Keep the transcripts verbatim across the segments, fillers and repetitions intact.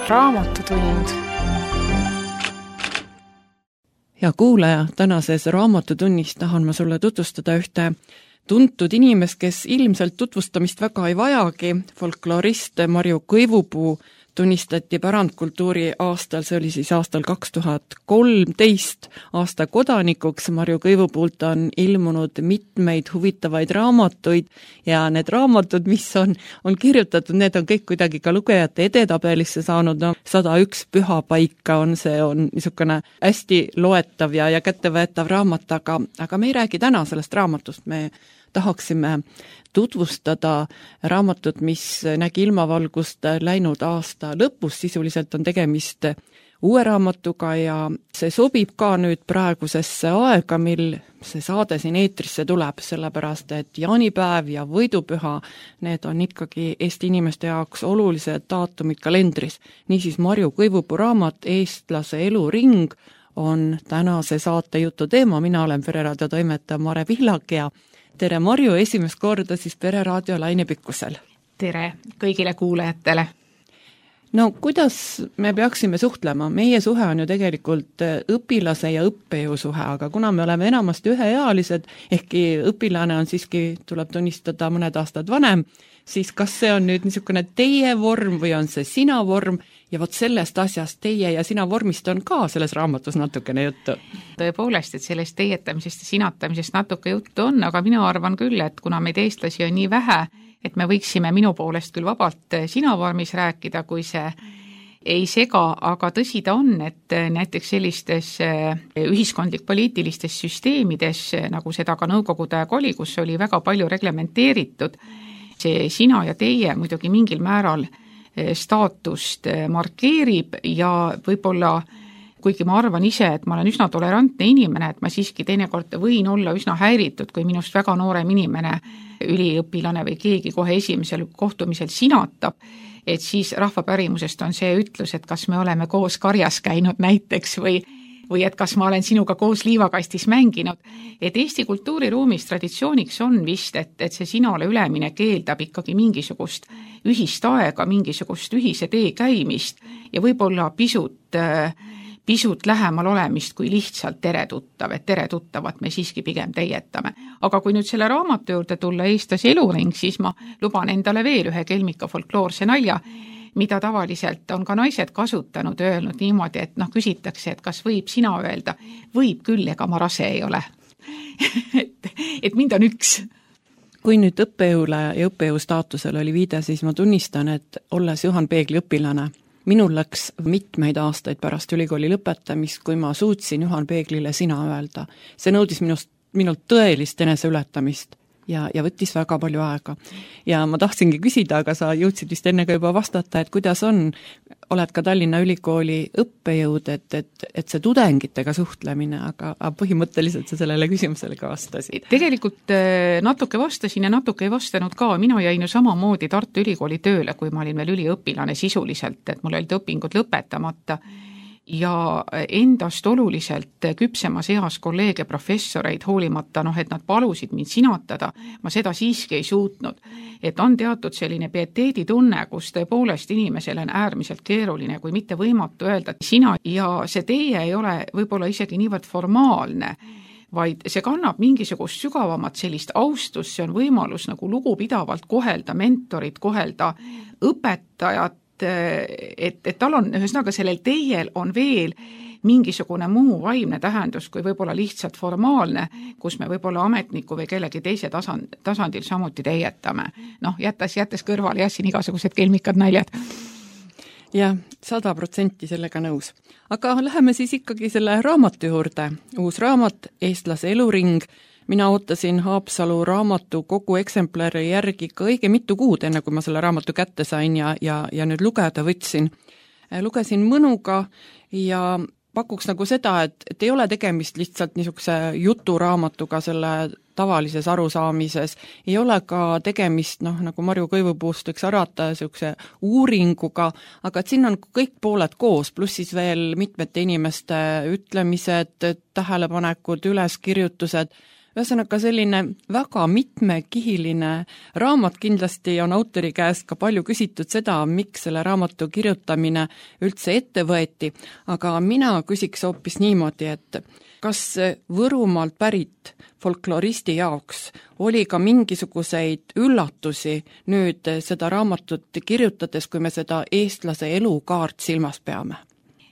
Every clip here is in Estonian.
raamatutund. Hea kuulaja, tänases raamatutunnis tahan ma sulle tutvustada ühte tuntud inimest, kes ilmselt tutvustamist väga ei vajagi. Folkloorist Marju Kõivupuu tunnistati pärandkultuuri aastal, see oli siis aastal kaks tuhat kolmteist aasta kodanikuks. Marju Kõivupuult on ilmunud mitmeid huvitavaid raamatuid ja need raamatud, mis on, on kirjutatud, need on kõik kuidagi ka lugejate edetabelisse saanud. No, sada üks pühapaika on see, on niisugune hästi loetav ja, ja kättevõetav raamat, aga, aga me ei räägi täna sellest raamatust, me tahaksime tutvustada raamatut, mis nägi ilmavalgust läinud aasta lõpus, sisuliselt on tegemist uue raamatuga ja see sobib ka nüüd praegusesse aega, mil see saade siin eetrisse tuleb, sellepärast et jaanipäev ja võidupüha, need on ikkagi Eesti inimeste jaoks olulised daatumid kalendris. Niisiis Marju Kõivupuu raamat Eestlase eluring on tänase saate jutu teema, mina olen Pereraadio toimetaja Mare Pihlak ja tere Marju, esimest korda siis Pereraadio lainepikkusel. Tere kõigile kuulajatele. No kuidas me peaksime suhtlema? Meie suhe on ju tegelikult õpilase ja õppejõu suhe, aga kuna me oleme enamasti üheealised, ehkki õpilane on siiski, tuleb tunnistada, mõned aastad vanem, siis kas see on nüüd niisugune teie vorm või on see sina vorm? Ja vot sellest asjast teie ja sina vormist on ka selles raamatus natukene juttu. Tõepoolest, et sellest teietamisest ja sinatamisest natuke juttu on, aga mina arvan küll, et kuna meid eestlasi on nii vähe, et me võiksime minu poolest küll vabalt sina vormis rääkida, kui see ei sega, aga tõsi ta on, et näiteks sellistes ühiskondlik-poliitilistes süsteemides, nagu seda ka Nõukogude aeg oli, kus oli väga palju reglementeeritud, see sina ja teie muidugi mingil määral staatust markeerib ja võib-olla, kuigi ma arvan ise, et ma olen üsna tolerantne inimene, et ma siiski teinekord võin olla üsna häiritud, kui minust väga noorem inimene, üliõpilane või keegi kohe esimesel kohtumisel sinatab, et siis rahvapärimusest on see ütlus, et kas me oleme koos karjas käinud näiteks või või et kas ma olen sinuga koos liivakastis mänginud, et Eesti kultuuriruumis traditsiooniks on vist, et, et see sinale ülemine keeldab ikkagi mingisugust ühist aega, mingisugust ühise tee käimist ja võib-olla pisut, pisut lähemal olemist kui lihtsalt tere tuttav, et tere tuttavat me siiski pigem teietame. Aga kui nüüd selle raamatu juurde tulla Eestlase eluring, siis ma luban endale veel ühe kelmika folkloorse nalja, mida tavaliselt on ka naised kasutanud, öelnud niimoodi, et noh, küsitakse, et kas võib sina öelda, võib küll, ega ma rase ei ole. et, et mind on üks. Kui nüüd õppejõule ja õppejõu staatusel oli viide, siis ma tunnistan, et olles Juhan Peegli õpilane, minul läks mitmeid aastaid pärast ülikooli lõpetamist, kui ma suutsin Juhan Peeglile sina öelda. See nõudis minust, minult tõelist eneseületamist. Ja, ja võttis väga palju aega. Ja ma tahtsingi küsida, aga sa jõudsid vist enne ka juba vastata, et kuidas on, oled ka Tallinna Ülikooli õppejõud, et, et, et see tudengitega suhtlemine, aga, aga põhimõtteliselt sa sellele küsimusele ka vastasid. Tegelikult natuke vastasin ja natuke ei vastanud ka. Mina jäin ju samamoodi Tartu Ülikooli tööle, kui ma olin veel üliõpilane sisuliselt, et mul olid õpingud lõpetamata. Ja endast oluliselt küpsemas eas kolleege professoreid hoolimata, noh, et nad palusid mind sinatada, ma seda siiski ei suutnud. Et on teatud selline pieteeditunne, kus tõepoolest inimesel on äärmiselt keeruline, kui mitte võimatu öelda, et sina ja see teie ei ole võib-olla isegi niivõrd formaalne, vaid see kannab mingisugust sügavamat sellist austust, see on võimalus nagu lugupidavalt kohelda mentorit, kohelda õpetajat, et, et tal on, ühesõnaga sellel teiel on veel mingisugune muu vaimne tähendus kui võib-olla lihtsalt formaalne, kus me võib-olla ametniku või kellegi teise tasand, tasandil samuti teietame. Noh, jättes, jättes kõrvale jah, siin igasugused kelmikad naljad. Jah, sada protsenti sellega nõus. Aga läheme siis ikkagi selle raamatu juurde. Uus raamat, Eestlase eluring. Mina ootasin Haapsalu raamatu kogu eksemplari järgi ka õige mitu kuud, enne kui ma selle raamatu kätte sain ja, ja, ja nüüd lugeda võtsin. Lugesin mõnuga ja pakuks nagu seda, et, et ei ole tegemist lihtsalt niisuguse juturaamatuga selle tavalises arusaamises, ei ole ka tegemist, noh, nagu Marju Kõivupuust võiks arvata, niisuguse uuringuga, aga et siin on kõik pooled koos, pluss siis veel mitmete inimeste ütlemised, tähelepanekud, üleskirjutused, ühesõnaga selline väga mitmekihiline raamat, kindlasti on autori käest ka palju küsitud seda, miks selle raamatu kirjutamine üldse ette võeti, aga mina küsiks hoopis niimoodi, et kas Võrumaalt pärit folkloristi jaoks oli ka mingisuguseid üllatusi nüüd seda raamatut kirjutades, kui me seda eestlase elukaart silmas peame?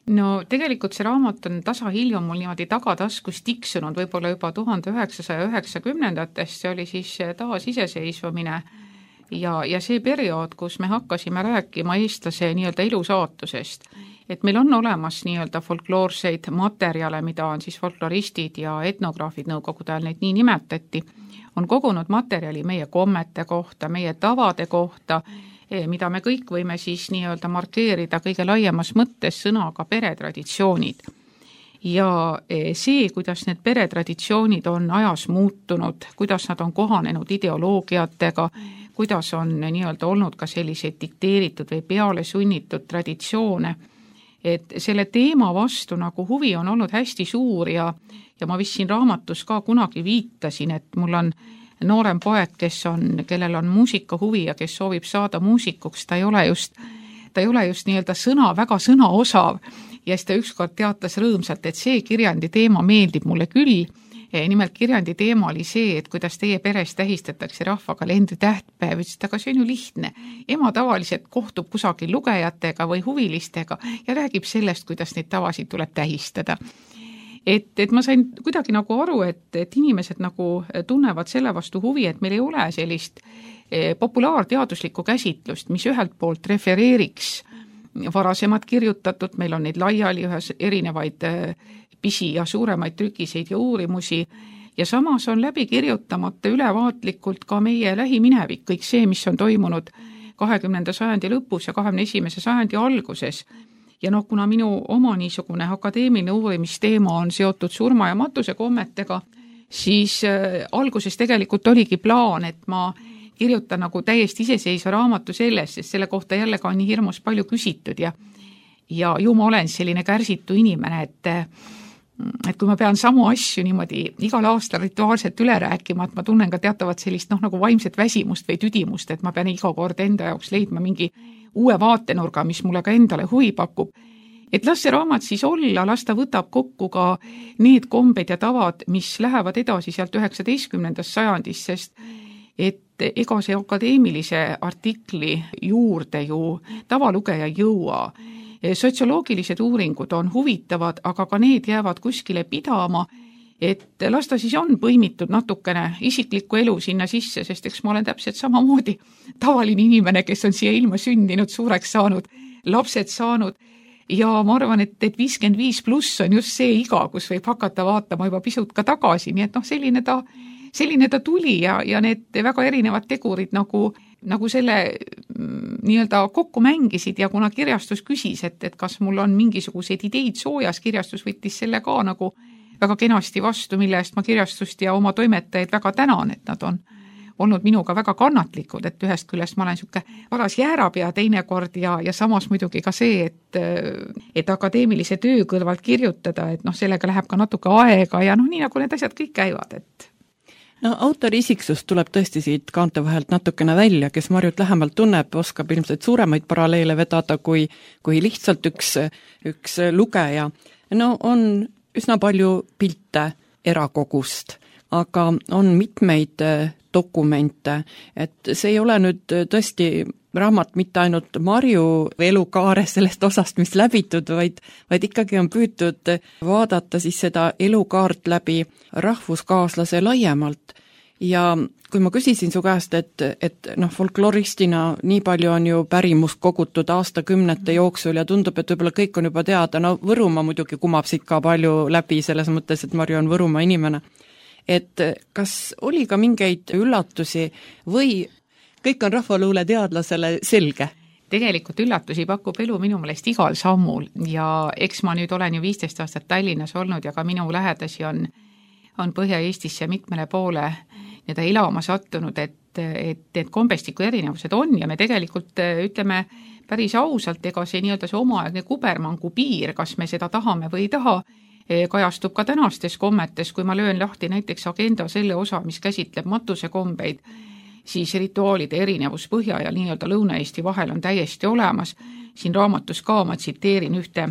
No tegelikult see raamat on tasahilju mul niimoodi tagataskus tiksunud võib-olla juba tuhande üheksasaja üheksakümnendatest, see oli siis taasiseseisvumine ja, ja see periood, kus me hakkasime rääkima eestlase nii-öelda elusaatusest. Et meil on olemas nii-öelda folkloorseid materjale, mida on siis folkloristid ja etnograafid nõukogude ajal, neid nii nimetati, on kogunud materjali meie kommete kohta, meie tavade kohta, mida me kõik võime siis nii-öelda markeerida kõige laiemas mõttes sõnaga peretraditsioonid. Ja see, kuidas need peretraditsioonid on ajas muutunud, kuidas nad on kohanenud ideoloogiatega, kuidas on nii-öelda olnud ka selliseid dikteeritud või peale sunnitud traditsioone, et selle teema vastu nagu huvi on olnud hästi suur ja, ja ma vist siin raamatus ka kunagi viitasin, et mul on noorem poeg, kes on, kellel on muusikahuvi ja kes soovib saada muusikuks, ta ei ole just, ta ei ole just nii-öelda sõna, väga sõnaosav ja siis ta ükskord teatas rõõmsalt, et see kirjandi teema meeldib mulle küll. Nimelt kirjandi teema oli see, et kuidas teie peres tähistatakse rahvakalendri tähtpäev, ütles, et aga see on ju lihtne. Ema tavaliselt kohtub kusagil lugejatega või huvilistega ja räägib sellest, kuidas neid tavasid tuleb tähistada. Et, et ma sain kuidagi nagu aru, et, et inimesed nagu tunnevad selle vastu huvi, et meil ei ole sellist populaarteaduslikku käsitlust, mis ühelt poolt refereeriks varasemad kirjutatud, meil on neid laiali ühes erinevaid pisi ja suuremaid trükiseid ja uurimusi ja samas on läbi kirjutamata ülevaatlikult ka meie lähiminevik, kõik see, mis on toimunud kahekümnenda sajandi lõpus ja kahekümne esimese sajandi alguses. Ja noh, kuna minu oma niisugune akadeemiline uurimisteema on seotud surma ja matuse kommetega, siis äh, alguses tegelikult oligi plaan, et ma kirjutan nagu täiesti iseseisva raamatu sellest, sest selle kohta jälle ka on nii hirmus palju küsitud ja, ja ju ma olen selline kärsitu inimene, et, et kui ma pean samu asju niimoodi igal aastal rituaalselt üle rääkima, et ma tunnen ka teatavat sellist noh, nagu vaimset väsimust või tüdimust, et ma pean iga kord enda jaoks leidma mingi uue vaatenurga, mis mulle ka endale huvi pakub. Et las see raamat siis olla, las ta võtab kokku ka need kombed ja tavad, mis lähevad edasi sealt üheksateistkümnendast sajandist, sest et ega see akadeemilise artikli juurde ju tavalugeja jõua. Sotsioloogilised uuringud on huvitavad, aga ka need jäävad kuskile pidama, et las ta siis on põimitud natukene isiklikku elu sinna sisse, sest eks ma olen täpselt samamoodi tavaline inimene, kes on siia ilma sündinud, suureks saanud, lapsed saanud ja ma arvan, et, et viiskümmend viis pluss on just see iga, kus võib hakata vaatama juba pisut ka tagasi, nii et noh, selline ta, selline ta tuli ja, ja need väga erinevad tegurid nagu, nagu selle nii-öelda kokku mängisid ja kuna kirjastus küsis, et, et kas mul on mingisuguseid ideid soojas, kirjastus võttis selle ka nagu väga kenasti vastu, mille eest ma kirjastust ja oma toimetajaid väga tänan, et nad on olnud minuga väga kannatlikud, et ühest küljest ma olen siuke varas jäärapea teinekord ja, ja samas muidugi ka see, et, et akadeemilise töö kõrvalt kirjutada, et noh, sellega läheb ka natuke aega ja noh, nii nagu need asjad kõik käivad, et no autori isiksus tuleb tõesti siit kaante vahelt natukene välja, kes Marjut lähemalt tunneb, oskab ilmselt suuremaid paralleele vedada kui, kui lihtsalt üks, üks lugeja. No on üsna palju pilte erakogust, aga on mitmeid dokumente, et see ei ole nüüd tõesti raamat mitte ainult Marju elukaare sellest osast, mis läbitud, vaid, vaid ikkagi on püütud vaadata siis seda elukaart läbi rahvuskaaslase laiemalt. Ja kui ma küsisin su käest, et, et noh, folkloristina nii palju on ju pärimust kogutud aastakümnete jooksul ja tundub, et võib-olla kõik on juba teada, no Võrumaa muidugi kumab siit ka palju läbi selles mõttes, et Marju on Võrumaa inimene. Et kas oli ka mingeid üllatusi või kõik on rahvaluule teadlasele selge? Tegelikult üllatusi pakub elu minu meelest igal sammul ja eks ma nüüd olen ju viisteist aastat Tallinnas olnud ja ka minu lähedasi on on Põhja-Eestisse mitmele poole nii-öelda elama sattunud, et, et, et kombestiku erinevused on ja me tegelikult ütleme päris ausalt, ega see nii-öelda see omaaegne kubermangu piir, kas me seda tahame või ei taha, kajastub ka tänastes kommetes, kui ma löön lahti näiteks agenda selle osa, mis käsitleb matusekombeid, siis rituaalide erinevus Põhja ja nii-öelda Lõuna-Eesti vahel on täiesti olemas. Siin raamatus ka ma tsiteerin ühte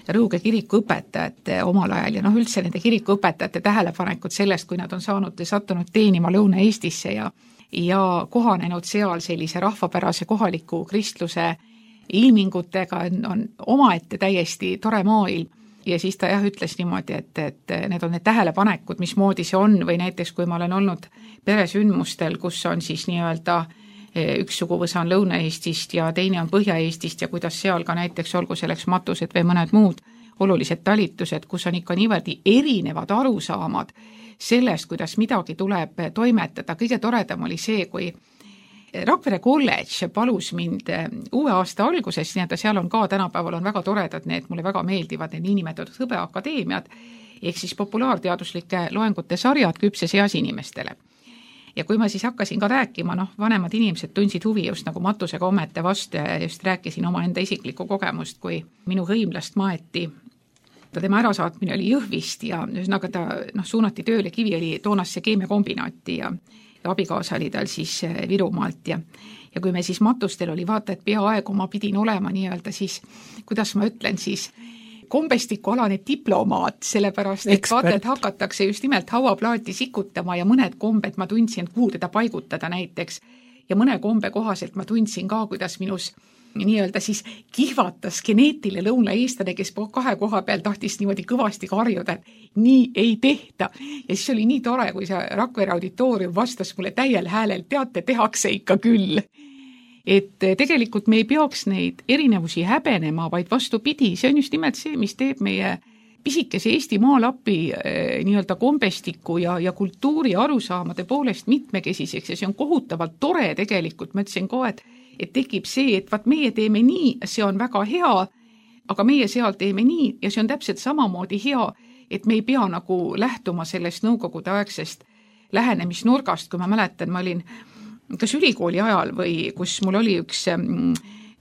Rõuge kirikuõpetajate omal ajal ja noh, üldse nende kirikuõpetajate tähelepanekud sellest, kui nad on saanud ja sattunud teenima Lõuna-Eestisse ja, ja kohanenud seal sellise rahvapärase kohaliku kristluse ilmingutega, on omaette täiesti tore maailm. Ja siis ta jah ütles niimoodi, et, et need on need tähelepanekud, mismoodi see on, või näiteks kui ma olen olnud peresündmustel, kus on siis nii-öelda üks suguvõsa on Lõuna-Eestist ja teine on Põhja-Eestist ja kuidas seal ka näiteks olgu selleks matused või mõned muud olulised talitused, kus on ikka niimoodi erinevad arusaamad sellest, kuidas midagi tuleb toimetada. Kõige toredam oli see, kui Rakvere kolledž palus mind uue aasta alguses, nii et seal on ka tänapäeval on väga toredad need, mulle väga meeldivad need niinimetatud hõbeakadeemiad, ehk siis populaarteaduslike loengute sarjad küpses eas inimestele. Ja kui ma siis hakkasin ka rääkima, noh, vanemad inimesed tundsid huvi just nagu matusega ommete vastu ja just rääkisin oma enda isiklikku kogemust, kui minu hõimlast maeti. Tema ärasaatmine oli Jõhvist ja ühesõnaga ta noh, suunati tööle Kiviõli toonasse keemiakombinaati ja ja abikaasa oli tal siis Virumaalt ja, ja kui me siis matustel oli vaata, et peaaegu ma pidin olema nii-öelda siis, kuidas ma ütlen siis, kombestikualane diplomaat, sellepärast, et vaata, et hakatakse just nimelt hauaplaati sikutama ja mõned kombed ma tundsin, kuhu teda paigutada näiteks ja mõne kombe kohaselt ma tundsin ka, kuidas minus nii-öelda siis kihvatas geneetiline lõunaeestlane, kes kahe koha peal tahtis niimoodi kõvasti karjuda, et nii ei tehta. Ja siis oli nii tore, kui see Rakvere auditoorium vastas mulle täiel häälel, teate, tehakse ikka küll. Et tegelikult me ei peaks neid erinevusi häbenema, vaid vastupidi, see on just nimelt see, mis teeb meie pisikese Eesti maalapi nii-öelda kombestiku ja, ja kultuuri arusaamade poolest mitmekesiseks ja see on kohutavalt tore tegelikult, ma ütlesin ka, et et tekib see, et vaat meie teeme nii, see on väga hea, aga meie seal teeme nii ja see on täpselt samamoodi hea, et me ei pea nagu lähtuma sellest nõukogude aegsest lähenemisnurgast, kui ma mäletan, ma olin kas ülikooli ajal või kus mul oli üks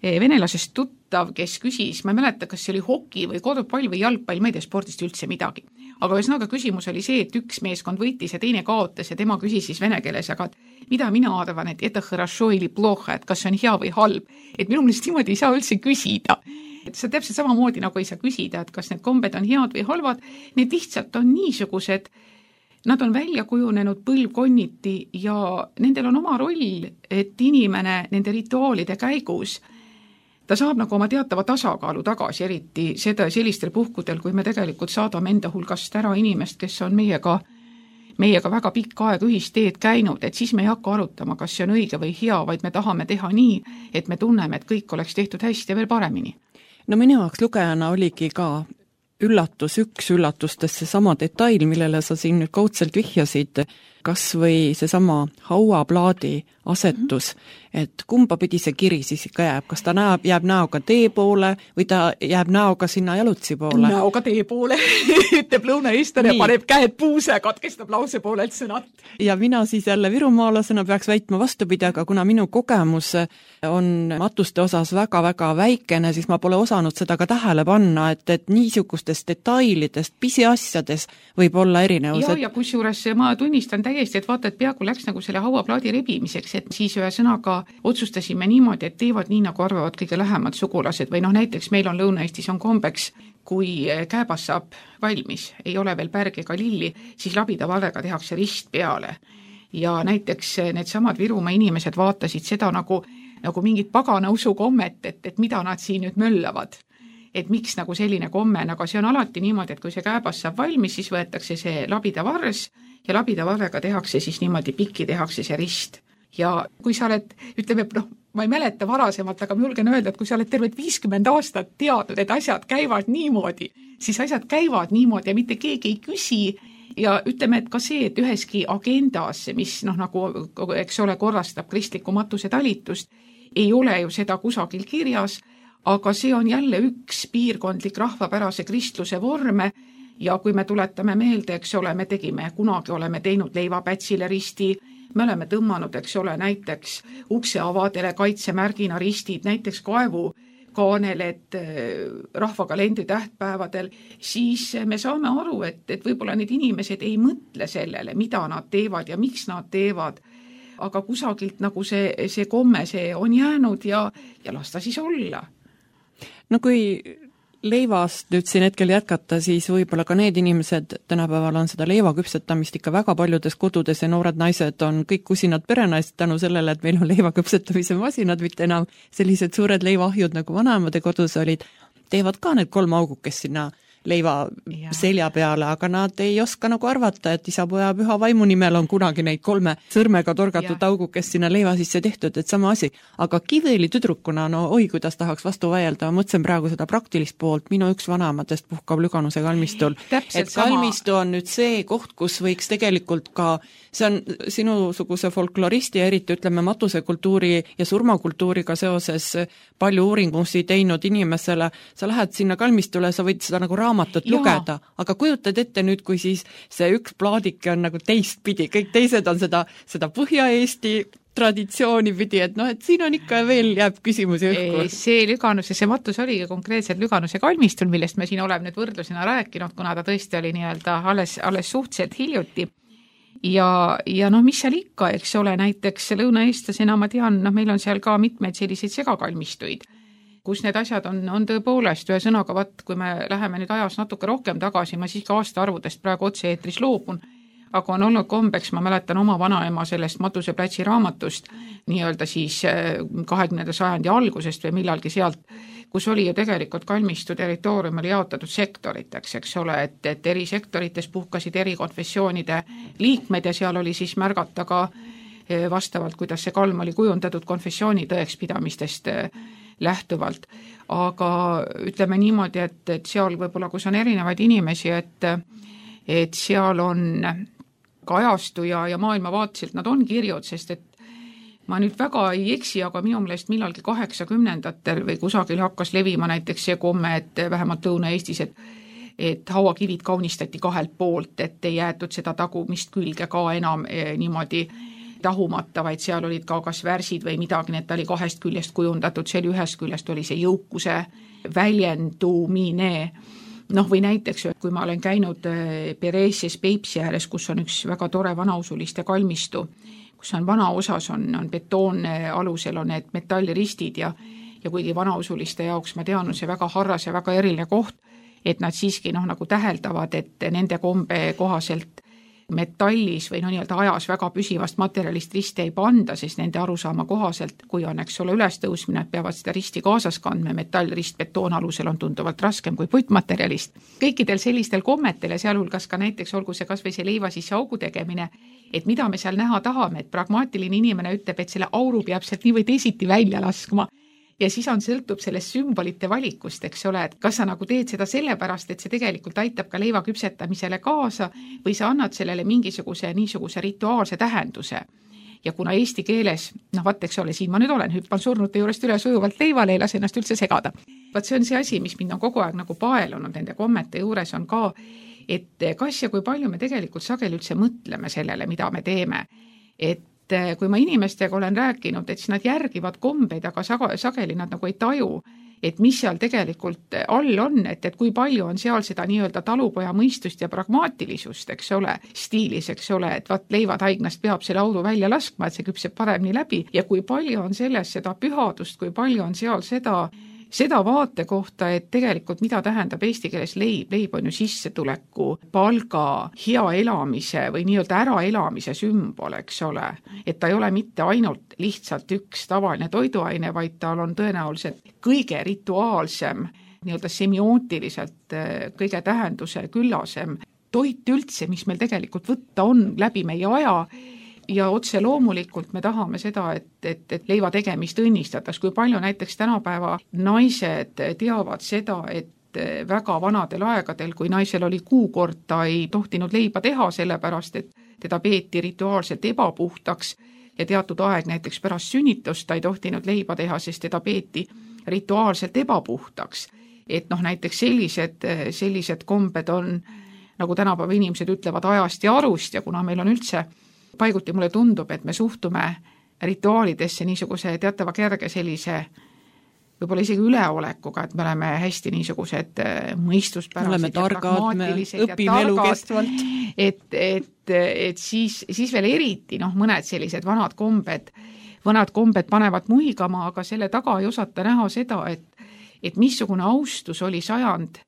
venelasest tuttav, kes küsis, ma ei mäleta, kas see oli hoki või korvpall või jalgpall, ma ei tea spordist üldse midagi. Aga ühesõnaga küsimus oli see, et üks meeskond võitis ja teine kaotas ja tema küsis siis vene keeles, aga mida mina arvan, et это хорошо или плохо, et kas see on hea või halb. Et minu meelest niimoodi ei saa üldse küsida. Et see täpselt samamoodi nagu ei saa küsida, et kas need kombed on head või halvad. Need lihtsalt on niisugused, nad on välja kujunenud põlvkonniti ja nendel on oma roll, et inimene nende rituaalide käigus ta saab nagu oma teatava tasakaalu tagasi, eriti seda sellistel puhkudel, kui me tegelikult saadame enda hulgast ära inimest, kes on meiega, meiega väga pikka aega ühisteed käinud, et siis me ei hakka arutama, kas see on õige või hea, vaid me tahame teha nii, et me tunneme, et kõik oleks tehtud hästi ja veel paremini. No minu jaoks lugejana oligi ka üllatus, üks üllatustest see sama detail, millele sa siin nüüd kaudselt vihjasid, kas või see sama hauaplaadi asetus, et kumba pidi see kiri siis ikka jääb, kas ta näeb, jääb näoga tee poole või ta jääb näoga sinna jalutsi poole? Näoga tee poole, ütleb lõunaeestlane, paneb käed puuse, katkestab lause poolelt sõnat. Ja mina siis jälle virumaalasena peaks väitma vastupidi, aga kuna minu kogemus on matuste osas väga-väga väikene, siis ma pole osanud seda ka tähele panna, et, et niisugustest detailidest, pisiasjades võib olla erinevused. Ja, ja kusjuures ma tunnistan täiesti, et vaata, et peaaegu läks nagu selle hauaplaadi rebimiseks, et siis ühe sõnaga otsustasime niimoodi, et teevad nii, nagu arvavad kõige lähemad sugulased või noh, näiteks meil on Lõuna-Eestis on kombeks, kui kääbas saab valmis, ei ole veel pärg ega lilli, siis labida valvega tehakse rist peale. Ja näiteks need samad Virumaa inimesed vaatasid seda nagu, nagu mingit pagana usukommet, et, et mida nad siin nüüd möllavad. Et miks nagu selline komme, aga see on alati niimoodi, et kui see kääbas saab valmis, siis võetakse see labida varres ja labida varrega tehakse siis niimoodi pikki, tehakse see rist. Ja kui sa oled, ütleme, noh, ma ei mäleta varasemalt, aga ma julgen öelda, et kui sa oled terved viiskümmend aastat teadnud, et asjad käivad niimoodi, siis asjad käivad niimoodi ja mitte keegi ei küsi. Ja ütleme, et ka see, et üheski agendas, mis noh, nagu, eks ole, korrastab kristliku matuse talitust, ei ole ju seda kusagil kirjas, aga see on jälle üks piirkondlik rahvapärase kristluse vorme ja kui me tuletame meelde, eks ole, me tegime, kunagi oleme teinud leivapätsile risti, me oleme tõmmanud, eks ole, näiteks ukseavadele kaitsemärgina ristid, näiteks kaevu, kaaneled rahvakalendri tähtpäevadel, siis me saame aru, et, et võib-olla need inimesed ei mõtle sellele, mida nad teevad ja miks nad teevad, aga kusagilt nagu see, see komme, see on jäänud ja, ja las ta siis olla. No kui leivast nüüd siin hetkel jätkata, siis võib-olla ka need inimesed tänapäeval on seda leiva küpsetamist ikka väga paljudes kodudes ja noored naised on kõik kusinad perenaised tänu sellele, et meil on leiva küpsetamise masinad, mitte enam sellised suured leivaahjud nagu vanaemade kodus olid, teevad ka need kolm augukest sinna leiva ja. selja peale, aga nad ei oska nagu arvata, et isapoja püha vaimu nimel on kunagi neid kolme sõrmega torgatud augukest sinna leiva sisse tehtud, et sama asi. Aga Kiviõli tüdrukuna, no oi, kuidas tahaks vastu vaielda, ma mõtlesin praegu seda praktilist poolt, minu üks vanaemadest puhkab Lüganuse kalmistul. Täpselt et kalmistu on nüüd see koht, kus võiks tegelikult ka, see on sinusuguse folkloristi ja eriti ütleme matusekultuuri ja surmakultuuriga seoses palju uuringusi teinud inimesele, sa lähed sinna kalmistule, sa võid seda nagu raamatut Jaa. lugeda, aga kujutad ette nüüd, kui siis see üks plaadike on nagu teistpidi, kõik teised on seda, seda Põhja-Eesti traditsiooni pidi, et noh, et siin on ikka veel jääb küsimusi õhku. See Lüganuse, see matus oligi konkreetselt Lüganuse kalmistul, millest me siin oleme nüüd võrdlusena rääkinud, kuna ta tõesti oli nii-öelda alles, alles suhteliselt hiljuti. Ja, ja noh, mis seal ikka, eks ole, näiteks lõunaeestlasena ma tean, noh, meil on seal ka mitmeid selliseid segakalmistuid, kus need asjad on, on tõepoolest ühe sõnaga, vaat, kui me läheme nüüd ajas natuke rohkem tagasi, ma siiski aastaarvudest praegu otse eetris loobun, aga on olnud kombeks, ma mäletan oma vanaema sellest Matuseplatsi raamatust, nii-öelda siis kahekümnenda sajandi algusest või millalgi sealt, kus oli ju tegelikult kalmistu territoorium oli jaotatud sektoriteks, eks ole, et, et eri sektorites puhkasid eri konfessioonide liikmed ja seal oli siis märgata ka vastavalt, kuidas see kalm oli kujundatud konfessiooni tõekspidamistest lähtuvalt. Aga ütleme niimoodi, et, et seal võib-olla, kus on erinevaid inimesi, et, et seal on kajastu ja, ja maailmavaatselt nad on kirjud, sest et ma nüüd väga ei eksi, aga minu meelest millalgi kaheksakümnendatel või kusagil hakkas levima näiteks see komme, et vähemalt Lõuna-Eestis, et, et hauakivid kaunistati kahelt poolt, et ei jäetud seda tagumist külge ka enam eh, niimoodi tahumata, vaid seal olid ka kas värsid või midagi, need oli kahest küljest kujundatud, seal ühest küljest oli see jõukuse väljendumine. Noh, või näiteks, kui ma olen käinud Pereesias Peipsi ääres, kus on üks väga tore vanausuliste kalmistu, kus on vana osas on, on betoon alusel on need metalliristid ja, ja kuigi vanausuliste jaoks ma tean, on see väga harras ja väga eriline koht, et nad siiski noh, nagu täheldavad, et nende kombe kohaselt metallis või no nii-öelda ajas väga püsivast materjalist risti ei panda, sest nende arusaama kohaselt, kui on, eks ole, ülestõusmine, et peavad seda risti kaasas kandma, metallrist betoon alusel on tunduvalt raskem kui puitmaterjalist. Kõikidel sellistel kommetel ja sealhulgas ka näiteks olgu see kas või see leiva sisse augu tegemine, et mida me seal näha tahame, et pragmaatiline inimene ütleb, et selle auru peab sealt nii või teisiti välja laskma. Ja siis on sõltub sellest sümbolite valikust, eks ole, et kas sa nagu teed seda sellepärast, et see tegelikult aitab ka leiva küpsetamisele kaasa või sa annad sellele mingisuguse niisuguse rituaalse tähenduse. Ja kuna eesti keeles, noh vaat, eks ole, siin ma nüüd olen, hüppan surnute juurest üle sujuvalt leivale, ei lase ennast üldse segada. Vaat see on see asi, mis mind on kogu aeg nagu paelunud nende kommete juures on ka, et kas ja kui palju me tegelikult sageli üldse mõtleme sellele, mida me teeme, et kui ma inimestega olen rääkinud, et siis nad järgivad kombeid, aga sageli nad nagu ei taju, et mis seal tegelikult all on, et, et kui palju on seal seda nii-öelda talupoja mõistust ja pragmaatilisust, eks ole, stiilis, eks ole, et vaat leivad haignast peab selle auru välja laskma, et see küpseb paremini läbi ja kui palju on selles seda pühadust, kui palju on seal seda seda vaate kohta, et tegelikult mida tähendab eesti keeles leib, leib on ju sissetuleku, palga, hea elamise või nii-öelda äraelamise sümbol, eks ole. Et ta ei ole mitte ainult lihtsalt üks tavaline toiduaine, vaid tal on tõenäoliselt kõige rituaalsem, nii-öelda semiootiliselt kõige tähenduse küllasem toit üldse, mis meil tegelikult võtta on läbi meie aja. Ja otse loomulikult me tahame seda, et, et, et leiva tegemist õnnistatas, kui palju näiteks tänapäeva naised teavad seda, et väga vanadel aegadel, kui naisel oli kuukord, ta ei tohtinud leiba teha, sellepärast, et teda peeti rituaalselt ebapuhtaks ja teatud aeg näiteks pärast sünnitust ta ei tohtinud leiba teha, sest teda peeti rituaalselt ebapuhtaks. Et noh, näiteks sellised, sellised kombed on, nagu tänapäeva inimesed ütlevad, ajast ja arust ja kuna meil on üldse paiguti mulle tundub, et me suhtume rituaalidesse niisuguse teatava kerge sellise võib-olla isegi üleolekuga, et me oleme hästi niisugused mõistuspärased oleme targad, me õpime elukestvalt. Et, et, et siis, siis veel eriti noh, mõned sellised vanad kombed, vanad kombed panevad muigama, aga selle taga ei osata näha seda, et, et missugune austus oli sajand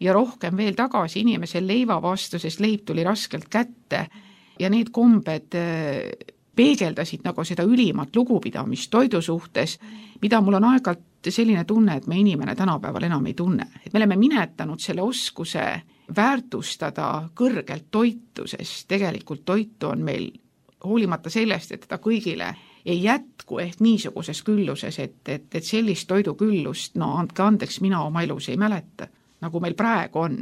ja rohkem veel tagasi inimesel leiva vastu, sest leib tuli raskelt kätte ja need kombed peegeldasid nagu seda ülimat lugupidamist toidu suhtes, mida mul on aeg-ajalt selline tunne, et me inimene tänapäeval enam ei tunne. Et me oleme minetanud selle oskuse väärtustada kõrgelt toitu, sest tegelikult toitu on meil hoolimata sellest, et teda kõigile ei jätku ehk niisuguses külluses, et, et, et sellist toiduküllust, no andke andeks, mina oma elus ei mäleta, nagu meil praegu on.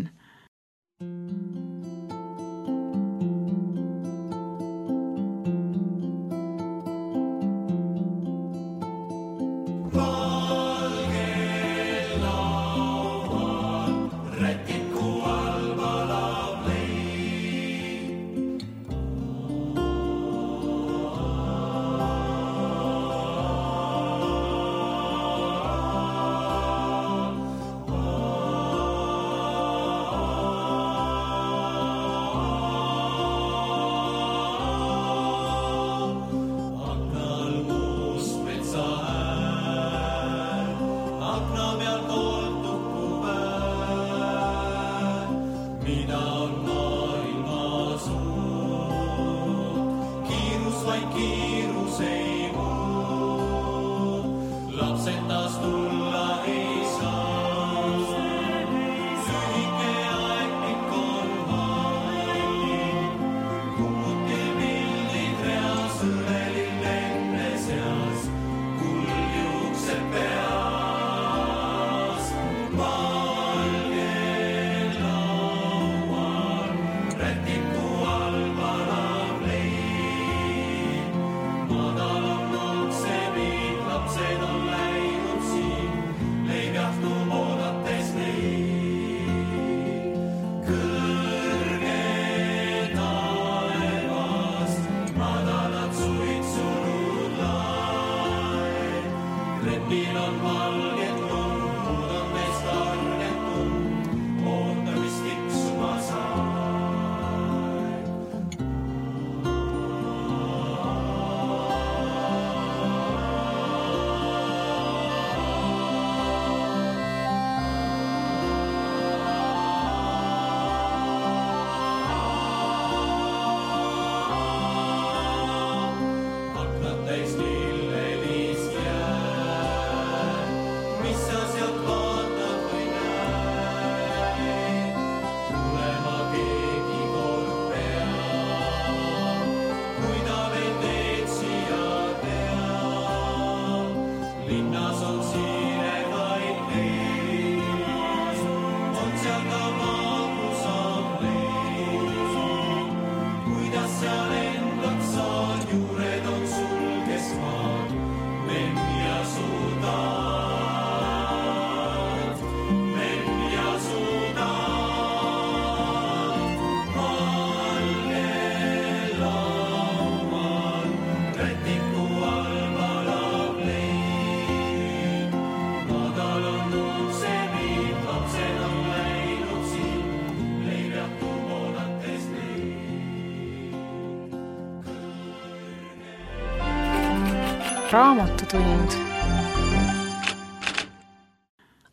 Raamatutund.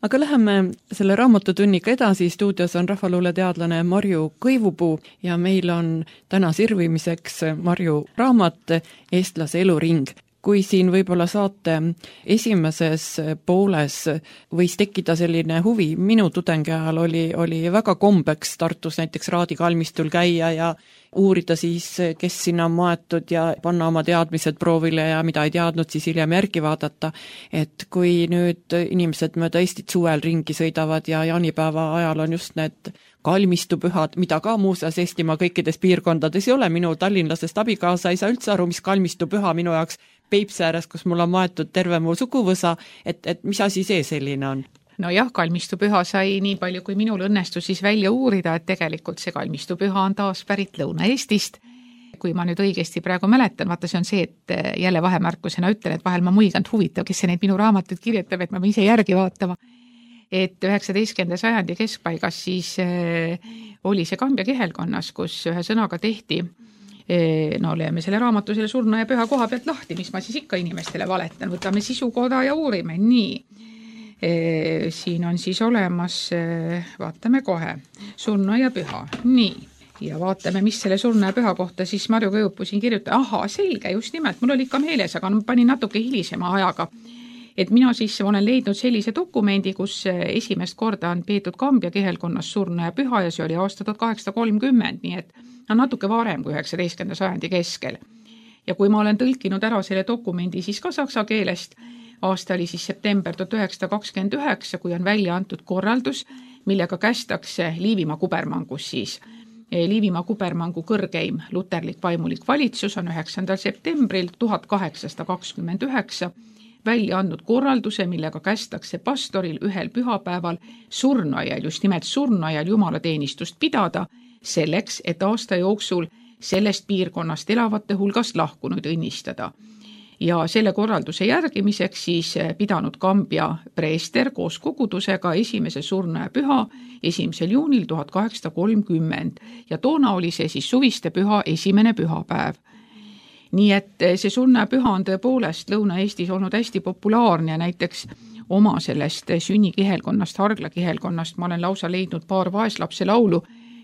Aga läheme selle raamatutunniga edasi, stuudios on rahvaluuleteadlane Marju Kõivupuu ja meil on täna sirvimiseks Marju raamat Eestlase eluring. Kui siin võib-olla saate esimeses pooles võis tekkida selline huvi, minu tudengi ajal oli, oli väga kombeks Tartus näiteks Raadi kalmistul käia ja uurida siis, kes sinna on maetud ja panna oma teadmised proovile ja mida ei teadnud, siis hiljem järgi vaadata. Et kui nüüd inimesed mööda Eestit suvel ringi sõidavad ja jaanipäeva ajal on just need kalmistupühad, mida ka muuseas Eestimaa kõikides piirkondades ei ole, minu tallinlasest abikaasa ei saa üldse aru, mis kalmistupüha minu jaoks Peipsi ääres, kus mul on maetud terve mu suguvõsa, et, et mis asi see selline on? No jah, kalmistupüha sai nii palju, kui minul õnnestus siis välja uurida, et tegelikult see kalmistupüha on taas pärit Lõuna-Eestist, kui ma nüüd õigesti praegu mäletan, vaata see on see, et jälle vahemärkusena ütlen, et vahel ma muiganud huvitav, kes see neid minu raamatuid kirjutab, et ma pean ise järgi vaatama. Et üheksateistkümnenda sajandi keskpaigas siis äh, oli see Kambja kihelkonnas, kus ühe sõnaga tehti, äh, no oleme selle raamatu selle surnu ja püha koha pealt lahti, mis ma siis ikka inimestele valetan, võtame sisukoda ja uurime, nii. Äh, siin on siis olemas, äh, vaatame kohe, surnu ja püha, nii. Ja vaatame, mis selle surnu ja püha kohta siis Marju Kõivupuu siin kirjutab. Aha, selge, just nimelt, mul oli ikka meeles, aga ma panin natuke hilisema ajaga. Et mina siis olen leidnud sellise dokumendi, kus esimest korda on peetud Kambja kihelkonnas surnu ja püha ja see oli aasta tuhat kaheksasada kolmkümmend, nii et on natuke varem kui üheksateistkümnenda sajandi keskel. Ja kui ma olen tõlkinud ära selle dokumendi siis ka saksa keelest, aasta oli siis september tuhat üheksasada kakskümmend üheksa, kui on välja antud korraldus, millega kästakse Liivimaa kubermangus siis. Liivimaa kubermangu kõrgeim luterlik vaimulik valitsus on üheksandal septembril tuhat kaheksasada kakskümmend üheksa välja andnud korralduse, millega kästakse pastoril ühel pühapäeval surnuaial, just nimelt surnuaial jumalateenistust pidada, selleks, et aasta jooksul sellest piirkonnast elavate hulgast lahkunud õnnistada. Ja selle korralduse järgimiseks siis pidanud Kambja preester koos kogudusega esimese surnu ja püha esimesel juunil tuhat kaheksasada kolmkümmend ja toona oli see siis suviste püha esimene pühapäev. Nii et see surnu ja püha on tõepoolest Lõuna-Eestis olnud hästi populaarne ja näiteks oma sellest sünnikihelkonnast, harglakihelkonnast ma olen lausa leidnud paar vaeslapse laulu,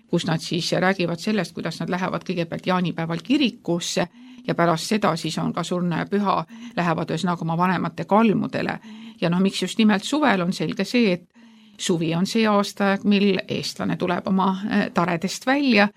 kus nad siis räägivad sellest, kuidas nad lähevad kõigepealt jaanipäeval kirikusse ja pärast seda siis on ka surnu ja püha lähevad ühesõnaga oma vanemate kalmudele. Ja noh, miks just nimelt suvel on selge see, et suvi on see aastaeg, mil eestlane tuleb oma taredest välja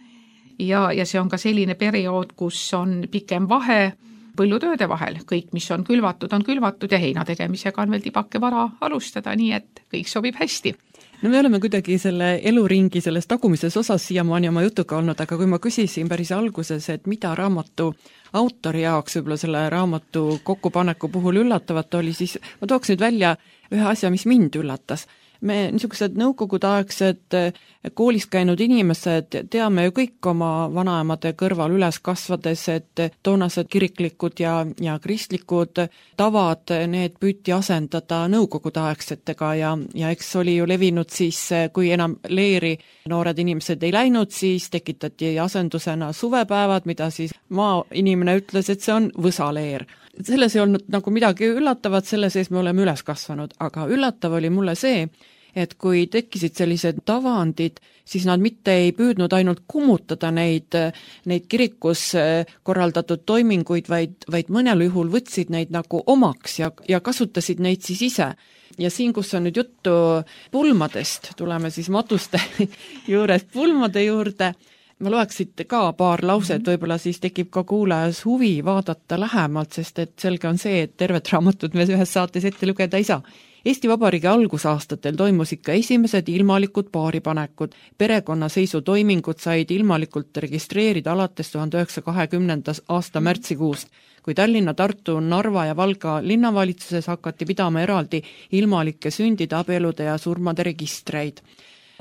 ja, ja see on ka selline periood, kus on pikem vahe põllutööde vahel. Kõik, mis on külvatud, on külvatud ja heina tegemisega on veel tibake vara alustada, nii et kõik sobib hästi. No me oleme kuidagi selle eluringi selles tagumises osas siiamaani oma jutuga olnud, aga kui ma küsisin päris alguses, et mida raamatu autori jaoks võib-olla selle raamatu kokkupaneku puhul üllatavat oli, siis ma tooks nüüd välja ühe asja, mis mind üllatas. Me niisugused nõukogudeaegsed koolis käinud inimesed teame ju kõik oma vanaemade kõrval üles kasvades, et toonased kiriklikud ja, ja kristlikud tavad, need püüti asendada nõukogudeaegsetega ja, ja eks oli ju levinud siis, kui enam leeri noored inimesed ei läinud, siis tekitati asendusena suvepäevad, mida siis maainimene ütles, et see on võsaleer. Selles ei olnud nagu midagi üllatavat, selle sees me oleme üles kasvanud, aga üllatav oli mulle see, et kui tekkisid sellised tavandid, siis nad mitte ei püüdnud ainult kummutada neid, neid kirikus korraldatud toiminguid, vaid, vaid mõnel juhul võtsid neid nagu omaks ja, ja kasutasid neid siis ise. Ja siin, kus on nüüd juttu pulmadest, tuleme siis matuste juures pulmade juurde, ma loeksid ka paar lauset, võib-olla siis tekib ka kuulajas huvi vaadata lähemalt, sest et selge on see, et tervet raamatut me ühes saates ette lugeda ei saa. Eesti Vabariigi algusaastatel toimus ikka esimesed ilmalikud paaripanekud. Perekonnaseisutoimingud said ilmalikult registreerida alates tuhande üheksasaja kahekümnenda aasta märtsikuust, kui Tallinna, Tartu, Narva ja Valga linnavalitsuses hakati pidama eraldi ilmalike sündide, abielude ja surmade registreid.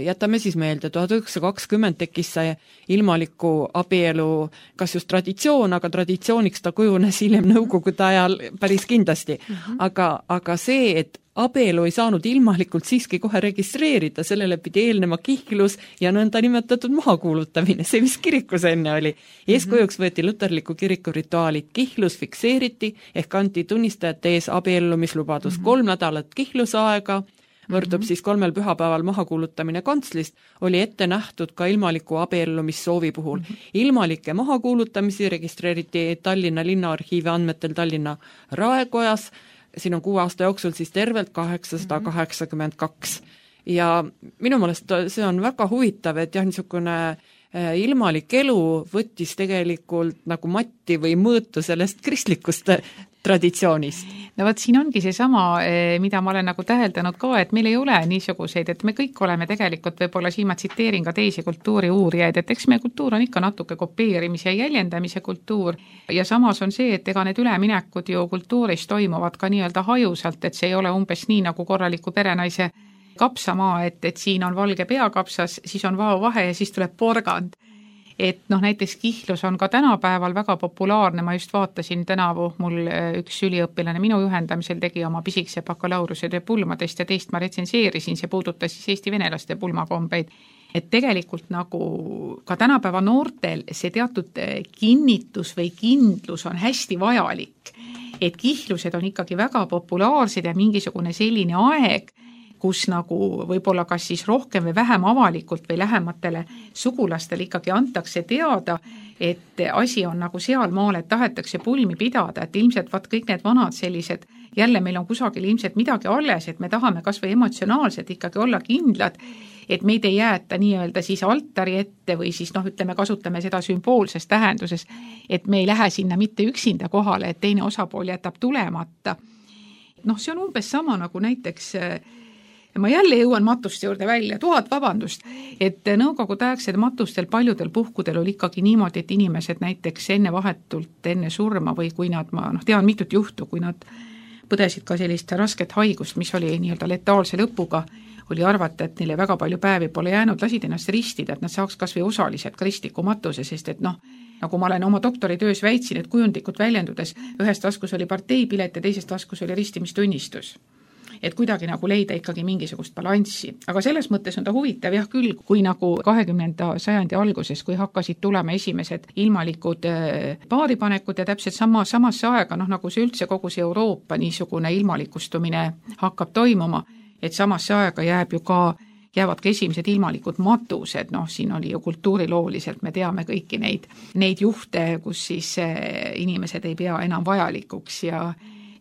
Jätame siis meelde, tuhat üheksasada kakskümmend tekkis see ilmaliku abielu, kas just traditsioon, aga traditsiooniks ta kujunes hiljem nõukogude ajal päris kindlasti. Uh-huh. Aga, aga see, et abielu ei saanud ilmalikult siiski kohe registreerida, sellele pidi eelnema kihlus ja nõnda nimetatud mahakuulutamine, see mis kirikus enne oli. Eeskujuks võeti luterliku kiriku rituaalid, kihlus fikseeriti ehk anti tunnistajate ees abiellumislubadus uh-huh. kolm nädalat kihlusaega, võrdub siis kolmel pühapäeval mahakuulutamine kantslist, oli ette nähtud ka ilmaliku abiellumissoovi puhul. Ilmalike mahakuulutamisi registreeriti Tallinna linnaarhiivi andmetel Tallinna Raekojas, siin on kuue aasta jooksul siis tervelt kaheksasada kaheksakümmend kaks. Ja minu meelest see on väga huvitav, et jah, niisugune ilmalik elu võttis tegelikult nagu matti või mõõtu sellest kristlikust traditsioonist. No võt, siin ongi see sama, mida ma olen nagu täheldanud ka, et meil ei ole niisuguseid, et me kõik oleme tegelikult, võib-olla siin ma tsiteerin ka teisi kultuuri uurijaid, et eks meie kultuur on ikka natuke kopeerimise ja jäljendamise kultuur ja samas on see, et ega need üleminekud ju kultuuris toimuvad ka nii-öelda hajusalt, et see ei ole umbes nii nagu korraliku perenaise kapsamaa, et, et siin on valge peakapsas, siis on vao vahe ja siis tuleb porgand. et noh, näiteks kihlus on ka tänapäeval väga populaarne, ma just vaatasin tänavu, mul üks üliõpilane minu juhendamisel tegi oma pisikese bakalaureuse töö pulmadest ja teist ma retsenseerisin, see puudutas siis Eesti venelaste pulmakombeid. Et tegelikult nagu ka tänapäeva noortel see teatud kinnitus või kindlus on hästi vajalik, et kihlused on ikkagi väga populaarsed ja mingisugune selline aeg, kus nagu võib-olla kas siis rohkem või vähem avalikult või lähematele sugulastele ikkagi antakse teada, et asi on nagu sealmaal, et tahetakse pulmi pidada, et ilmselt vaat kõik need vanad sellised, jälle meil on kusagil ilmselt midagi alles, et me tahame kas või emotsionaalselt ikkagi olla kindlad, et meid ei jäeta nii-öelda siis altari ette või siis noh, ütleme, kasutame seda sümboolses tähenduses, et me ei lähe sinna mitte üksinda kohale, et teine osapool jätab tulemata. Noh, see on umbes sama nagu näiteks ma jälle jõuan matuste juurde välja, tuhat vabandust, et nõukogudeaegsed matustel paljudel puhkudel oli ikkagi niimoodi, et inimesed näiteks enne vahetult, enne surma või kui nad, ma noh, tean mitut juhtu, kui nad põdesid ka sellist rasket haigust, mis oli nii-öelda letaalse lõpuga, oli arvata, et neile väga palju päevi pole jäänud, lasid ennast ristida, et nad saaks kas või osaliselt kristliku matuse, sest et noh, nagu ma olen oma doktoritöös väitsin, et kujundlikult väljendudes ühes taskus oli parteipilet ja teises taskus oli ristimistunnistus. Et kuidagi nagu leida ikkagi mingisugust balanssi. Aga selles mõttes on ta huvitav jah küll, kui nagu kahekümnenda sajandi alguses, kui hakkasid tulema esimesed ilmalikud paaripanekud ja täpselt sama, samasse aega, noh nagu see üldse kogu see Euroopa niisugune ilmalikustumine hakkab toimuma, et samasse aega jääb ju ka, jäävad ka esimesed ilmalikud matused, noh siin oli ju kultuurilooliselt, me teame kõiki neid, neid juhte, kus siis inimesed ei pea enam vajalikuks ja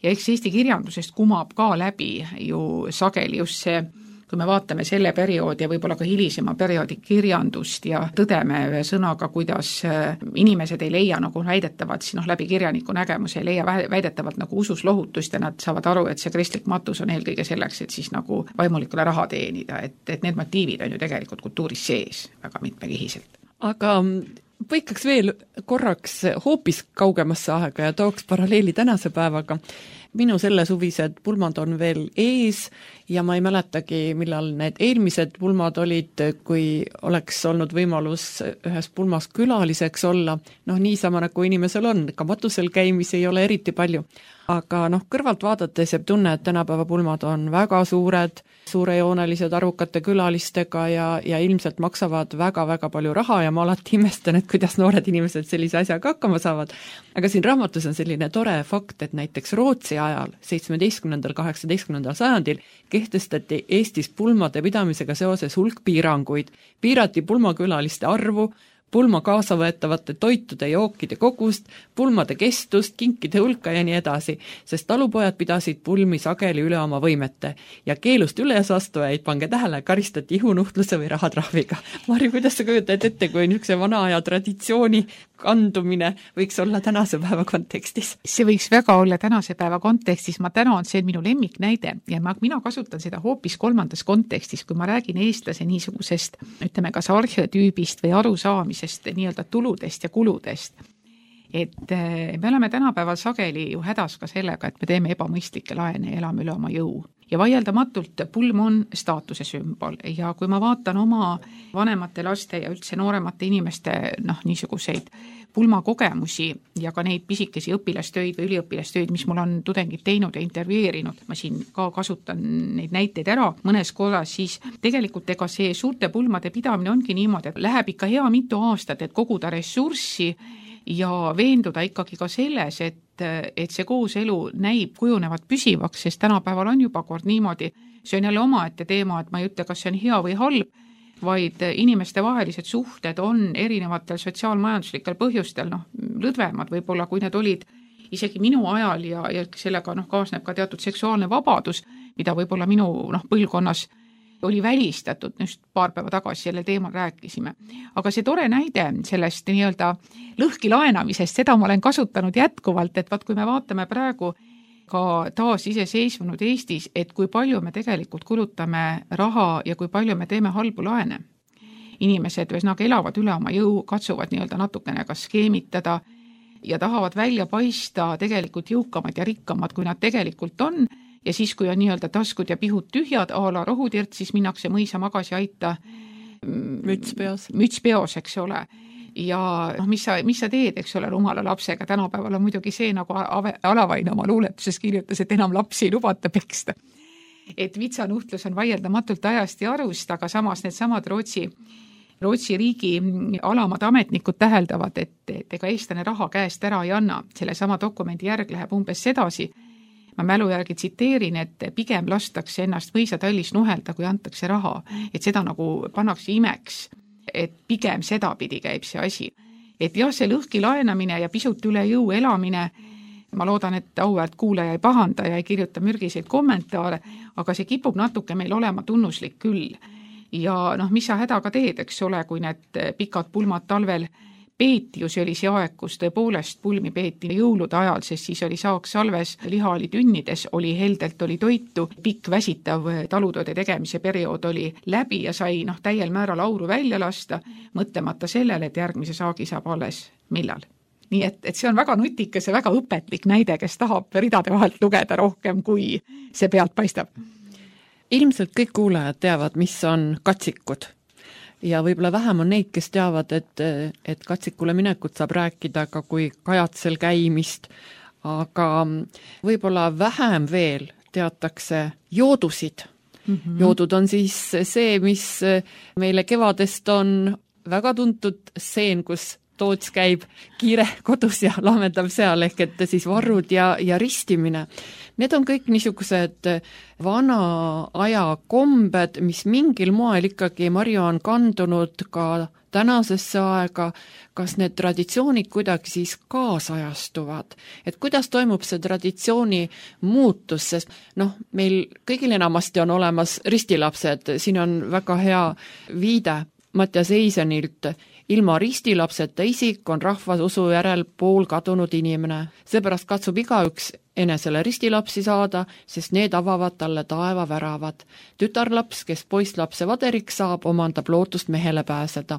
Ja eks Eesti kirjandusest kumab ka läbi ju sageli just see, kui me vaatame selle perioodi ja võib-olla ka hilisema perioodi kirjandust ja tõdeme ühe sõnaga, kuidas inimesed ei leia nagu väidetavalt, noh läbi kirjaniku nägemuse ei leia väidetavalt nagu usus lohutust ja nad saavad aru, et see kristlik matus on eelkõige selleks, et siis nagu vaimulikule raha teenida, et, et need motiivid on ju tegelikult kultuuris sees väga mitmekihiselt. Aga põikaks veel korraks hoopis kaugemasse aega ja tooks paralleeli tänase päevaga. Minu selle suvised pulmad on veel ees ja ma ei mäletagi, millal need eelmised pulmad olid, kui oleks olnud võimalus ühes pulmas külaliseks olla. Noh, niisama nagu inimesel on, ka matusel käimisi ei ole eriti palju. Aga noh, kõrvalt vaadates jääb tunne, et tänapäeva pulmad on väga suured, suurejoonelised arvukate külalistega ja, ja ilmselt maksavad väga-väga palju raha ja ma alati imestan, et kuidas noored inimesed sellise asjaga hakkama saavad. Aga siin raamatus on selline tore fakt, et näiteks Rootsi ajal, seitsmeteistkümnendal kaheksateistkümnendal sajandil kehtestati Eestis pulmade pidamisega seoses hulk piiranguid. Piirati pulmakülaliste arvu, pulma kaasavõetavate toitude ja jookide kogust, pulmade kestust, kinkide hulka ja nii edasi, sest talupojad pidasid pulmi sageli üle oma võimete ja keelust üles astujaid, pange tähele, karistati ihunuhtluse või rahatrahviga. Mari, kuidas sa kujutad ette, kui niisuguse vana aja traditsiooni kandumine võiks olla tänase päeva kontekstis? See võiks väga olla tänase päeva kontekstis, ma tänan, see on minu lemmiknäide ja ma, mina kasutan seda hoopis kolmandas kontekstis, kui ma räägin eestlase niisugusest, ütleme kas arheotüübist või arusaamisest nii-öelda tuludest ja kuludest. Et me oleme tänapäeval sageli ju hädas ka sellega, et me teeme ebamõistlikke laene ja elame üle oma jõu. Ja vaieldamatult pulm on staatuse sümbol ja kui ma vaatan oma vanemate laste ja üldse nooremate inimeste noh, niisuguseid pulmakogemusi ja ka neid pisikesi õpilastöid või üliõpilastöid, mis mul on tudengid teinud ja intervjueerinud, ma siin ka kasutan neid näiteid ära mõnes korras, siis tegelikult ega see suurte pulmade pidamine ongi niimoodi, et läheb ikka hea mitu aastat, et koguda ressurssi ja veenduda ikkagi ka selles, et et see kooselu näib kujunevat püsivaks, sest tänapäeval on juba kord niimoodi, see on jälle omaette teema, et ma ei ütle, kas see on hea või halb, vaid inimeste vahelised suhted on erinevatel sotsiaalmajanduslikel põhjustel noh, lõdvemad võib-olla, kui need olid isegi minu ajal ja, ja sellega noh, kaasneb ka teatud seksuaalne vabadus, mida võib-olla minu noh, põlvkonnas oli välistatud, just paar päeva tagasi selle teemal rääkisime. Aga see tore näide sellest nii-öelda lõhki laenamisest, seda ma olen kasutanud jätkuvalt, et vaat kui me vaatame praegu ka taas iseseisvunud Eestis, et kui palju me tegelikult kulutame raha ja kui palju me teeme halbu laene. Inimesed ühesõnaga elavad üle oma jõu, katsuvad nii-öelda natukene ka skeemitada ja tahavad välja paista tegelikult jõukamad ja rikkamad, kui nad tegelikult on. Ja siis, kui on nii-öelda taskud ja pihud tühjad, a la rohudirt, siis minnakse mõisa magasi aita müts peos. müts peos, eks ole. ja noh, mis sa, mis sa teed, eks ole, rumala lapsega, tänapäeval on muidugi see, nagu Alavaine oma luuletuses kirjutas, et enam lapsi ei lubata peksta. Et vitsanuhtlus on vaieldamatult ajast ja arust, aga samas need samad Rootsi, Rootsi riigi alamad ametnikud täheldavad, et, et ega eestlane raha käest ära ei anna. Selle sama dokumendi järg läheb umbes sedasi. Ma mälu järgi tsiteerin, et pigem lastakse ennast võisatallis nuhelda, kui antakse raha. Et seda nagu pannakse imeks, et pigem sedapidi käib see asi. Et jah, see lõhki laenamine ja pisut üle jõu elamine, ma loodan, et auväärt kuulaja ei pahanda ja ei kirjuta mürgiseid kommentaare, aga see kipub natuke meil olema tunnuslik küll. Ja noh, mis sa hädaga teed, eks ole, kui need pikad pulmad talvel peeti, ju see oli see aeg, kus tõepoolest pulmi peeti jõulude ajal, sest siis oli saaks salves, liha oli tünnides, oli heldelt, oli toitu, pikk väsitav talutööde tegemise periood oli läbi ja sai noh, täiel määral auru välja lasta, mõtlemata sellele, et järgmise saagi saab alles millal. Nii et, et see on väga nutikas ja väga õpetlik näide, kes tahab ridade vahelt lugeda rohkem, kui see pealt paistab. Ilmselt kõik kuulajad teavad, mis on katsikud. Ja võib-olla vähem on neid, kes teavad, et, et katsikule minekut saab rääkida ka kui kajatsel käimist, aga võib-olla vähem veel teatakse joodusid. Mm-hmm. Joodud on siis see, mis meile kevadest on väga tuntud seen, kus Toots käib kiire kodus ja laamendab seal, ehk et siis varrud ja, ja ristimine. Need on kõik niisugused vana aja kombed, mis mingil moel ikkagi Marju on kandunud ka tänasesse aega, kas need traditsioonid kuidagi siis kaasajastuvad. Et kuidas toimub see traditsiooni muutus, sest noh, meil kõigil enamasti on olemas ristilapsed, siin on väga hea viide Mattias Eisenilt. Ilma ristilapseta isik on rahvasusu järel pool kadunud inimene. Seepärast katsub igaüks enesele ristilapsi saada, sest need avavad talle taeva väravad. Tütarlaps, kes poisslapse vaderiks saab, omandab lootust mehele pääseda.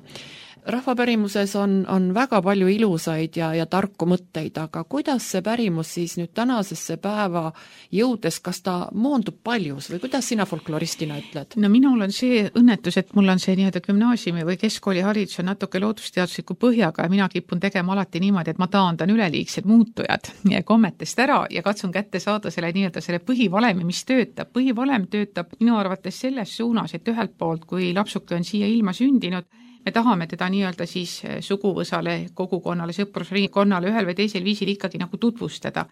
Rahvapärimuses on, on väga palju ilusaid ja, ja tarku mõtteid, aga kuidas see pärimus siis nüüd tänasesse päeva jõudes, kas ta moondub paljus või kuidas sina folkloristina ütled? No minul on see õnnetus, et mul on see nii-öelda gümnaasiumi või keskkooli haridus on natuke loodusteadusliku põhjaga ja mina kipun tegema alati niimoodi, et ma taandan üleliigsed muutujad ja kommetest ära ja katsun kätte saada selle nii-öelda selle põhivalemi, mis töötab. Põhivalem töötab minu arvates selles suunas, et ühelt poolt, kui lapsuke on siia ilma sündinud, me tahame teda nii-öelda siis suguvõsale, kogukonnale, sõprusringkonnale ühel või teisel viisil ikkagi nagu tutvustada.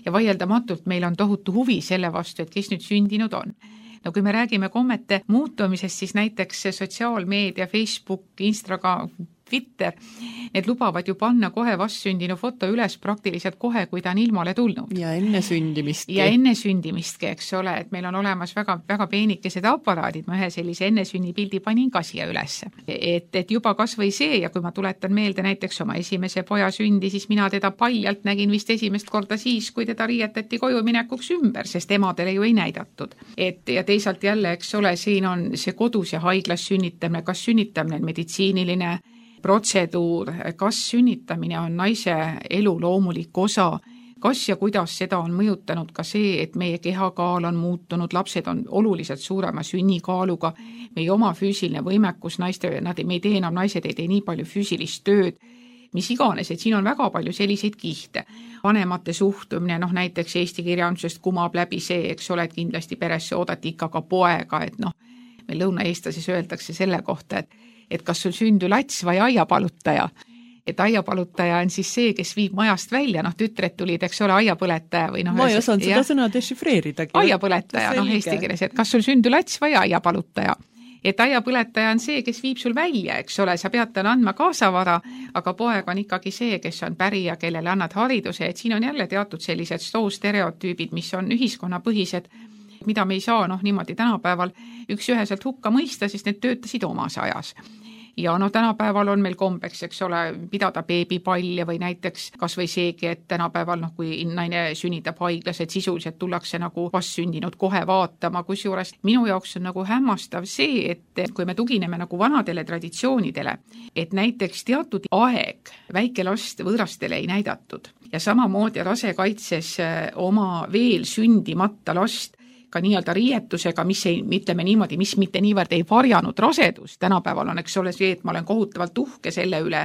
Ja vaieldamatult meil on tohutu huvi selle vastu, et kes nüüd sündinud on. No kui me räägime kommete muutumisest, siis näiteks sotsiaalmeedia, Facebook, Instagram, Twitter, need lubavad ju panna kohe vastsündinu foto üles praktiliselt kohe, kui ta on ilmale tulnud. Ja enne sündimistki. Ja enne sündimistki, eks ole, et meil on olemas väga, väga peenikesed aparaadid, ma ühe sellise enne sünnipildi panin ka siia üles. Et, et juba kas või see, ja kui ma tuletan meelde näiteks oma esimese poja sündi, siis mina teda paljalt nägin vist esimest korda siis, kui teda riietati koju minekuks ümber, sest emadele ju ei näidatud. Et, ja teisalt jälle, eks ole, siin on see kodus ja haiglas sünnitamine, kas sünnitamine on meditsiiniline protseduur, kas sünnitamine on naise elu loomulik osa, kas ja kuidas seda on mõjutanud ka see, et meie kehakaal on muutunud, lapsed on oluliselt suurema sünnikaaluga, meie oma füüsiline võimekus, naiste, nad, me ei tee enam, naised ei tee nii palju füüsilist tööd, mis iganes, et siin on väga palju selliseid kihte. Vanemate suhtumine, noh näiteks Eesti kirjandusest kumab läbi see, eks ole, et kindlasti peresse oodati ikka ka poega, et noh, meil lõunaeestlases öeldakse selle kohta, et et kas sul sündü lats või aiapalutaja. Et aiapalutaja on siis see, kes viib majast välja, noh tütred tulid, eks ole, aiapõletaja või noh. Ma ei osanud seda sõna dešifreeridagi. Aiapõletaja, noh eesti keeles, et kas sul sündü lats või aiapalutaja. Et aiapõletaja on see, kes viib sul välja, eks ole, sa pead talle andma kaasavara, aga poeg on ikkagi see, kes on pärija, kellele annad hariduse, et siin on jälle teatud sellised stereotüübid, mis on ühiskonnapõhised, mida me ei saa noh niimoodi tänapäeval üks üheselt hukka mõista, sest need töötasid omas ajas. Ja noh, tänapäeval on meil kombeks, eks ole, pidada beebipalle või näiteks kas või seegi, et tänapäeval noh, kui naine sünnitab haiglas, et sisuliselt tullakse nagu vastsündinud kohe vaatama, kusjuures minu jaoks on nagu hämmastav see, et kui me tugineme nagu vanadele traditsioonidele, et näiteks teatud aeg väike last võõrastele ei näidatud ja samamoodi rasekaitses oma veel sündimata last ka nii-öelda riietusega, mis ei, ütleme niimoodi, mis mitte niivõrd ei varjanud rasedust. Tänapäeval on, eks ole, see, et ma olen kohutavalt uhke selle üle,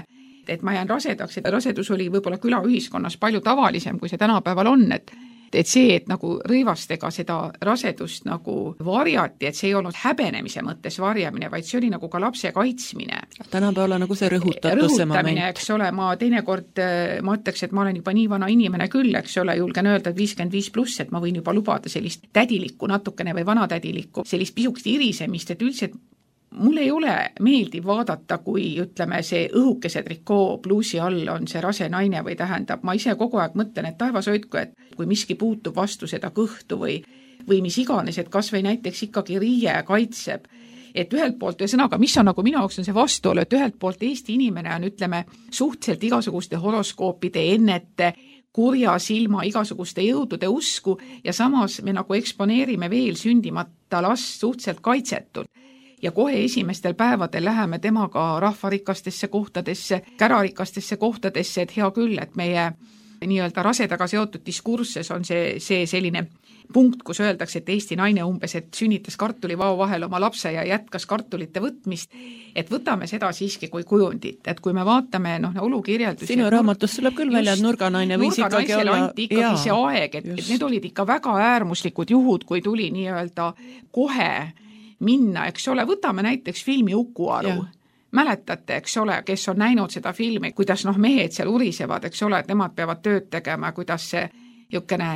et ma jään rasedaks, et rasedus oli võib-olla külaühiskonnas palju tavalisem, kui see tänapäeval on, et et see, et nagu rõivastega seda rasedust nagu varjati, et see ei olnud häbenemise mõttes varjamine, vaid see oli nagu ka lapse kaitsmine. Tänapäeval nagu see rõhutatus see moment. Eks ole, ma teinekord, ma ütleks, et ma olen juba nii vana inimene küll, eks ole, julgen öelda, et viiskümmend viis pluss, et ma võin juba lubada sellist tädilikku natukene või vanatädilikku, sellist pisukest irisemist, et üldse, et mul ei ole meeldiv vaadata, kui ütleme, see õhukese trikoo pluusi all on see rase naine või tähendab, ma ise kogu aeg mõtlen, et taevas hoidku, et kui miski puutub vastu seda kõhtu või, või mis iganes, et kas või näiteks ikkagi riie kaitseb, et ühelt poolt, ühesõnaga, mis on nagu minu jaoks on see vastuolu, et ühelt poolt Eesti inimene on, ütleme, suhteliselt igasuguste horoskoopide, ennete, kurja silma, igasuguste jõudude usku ja samas me nagu eksponeerime veel sündimata last suhteliselt kaitsetult. Ja kohe esimestel päevadel läheme temaga rahvarikastesse kohtadesse, kärarikastesse kohtadesse, et hea küll, et meie nii-öelda rasedaga seotud diskurses on see, see selline punkt, kus öeldakse, et Eesti naine umbes, et sünnitas kartulivao vahel oma lapse ja jätkas kartulite võtmist, et võtame seda siiski kui kujundit, et kui me vaatame noh, olukirjeldusi. Sinu raamatus tuleb küll välja, et nurganaine võis ikkagi olla. Anti ikkagi jaa, see aeg, et, et need olid ikka väga äärmuslikud juhud, kui tuli nii-öelda kohe minna, eks ole, võtame näiteks filmi Uku-Aru. Ja. Mäletate, eks ole, kes on näinud seda filmi, kuidas noh, mehed seal urisevad, eks ole, et nemad peavad tööd tegema, kuidas see jõukene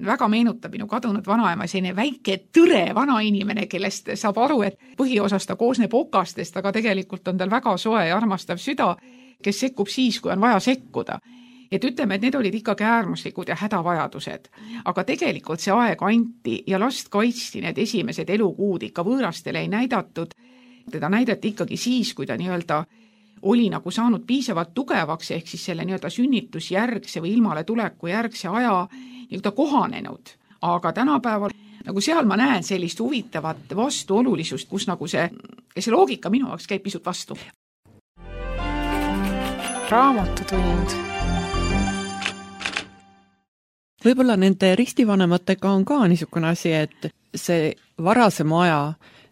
väga meenutab minu kadunud vanaema, selline väike tõre vanainimene, kellest saab aru, et põhiosas ta koosneb okastest, aga tegelikult on tal väga soe ja armastav süda, kes sekkub siis, kui on vaja sekkuda. Et ütleme, et need olid ikkagi äärmuslikud ja hädavajadused. Aga tegelikult see aeg anti ja last kaitsti need esimesed elukuud ikka võõrastele ei näidatud. Teda näidati ikkagi siis, kui ta nii-öelda oli nagu saanud piisavalt tugevaks, ehk siis selle nii-öelda sünnitusjärgse või ilmale tuleku järgse aja nii-öelda kohanenud. Aga tänapäeval nagu seal ma näen sellist huvitavat vastuolulisust, kus nagu see, see loogika minu jaoks käib pisut vastu. Raamatutund. Võib-olla nende ristivanematega on ka niisugune asi, et see varasema aja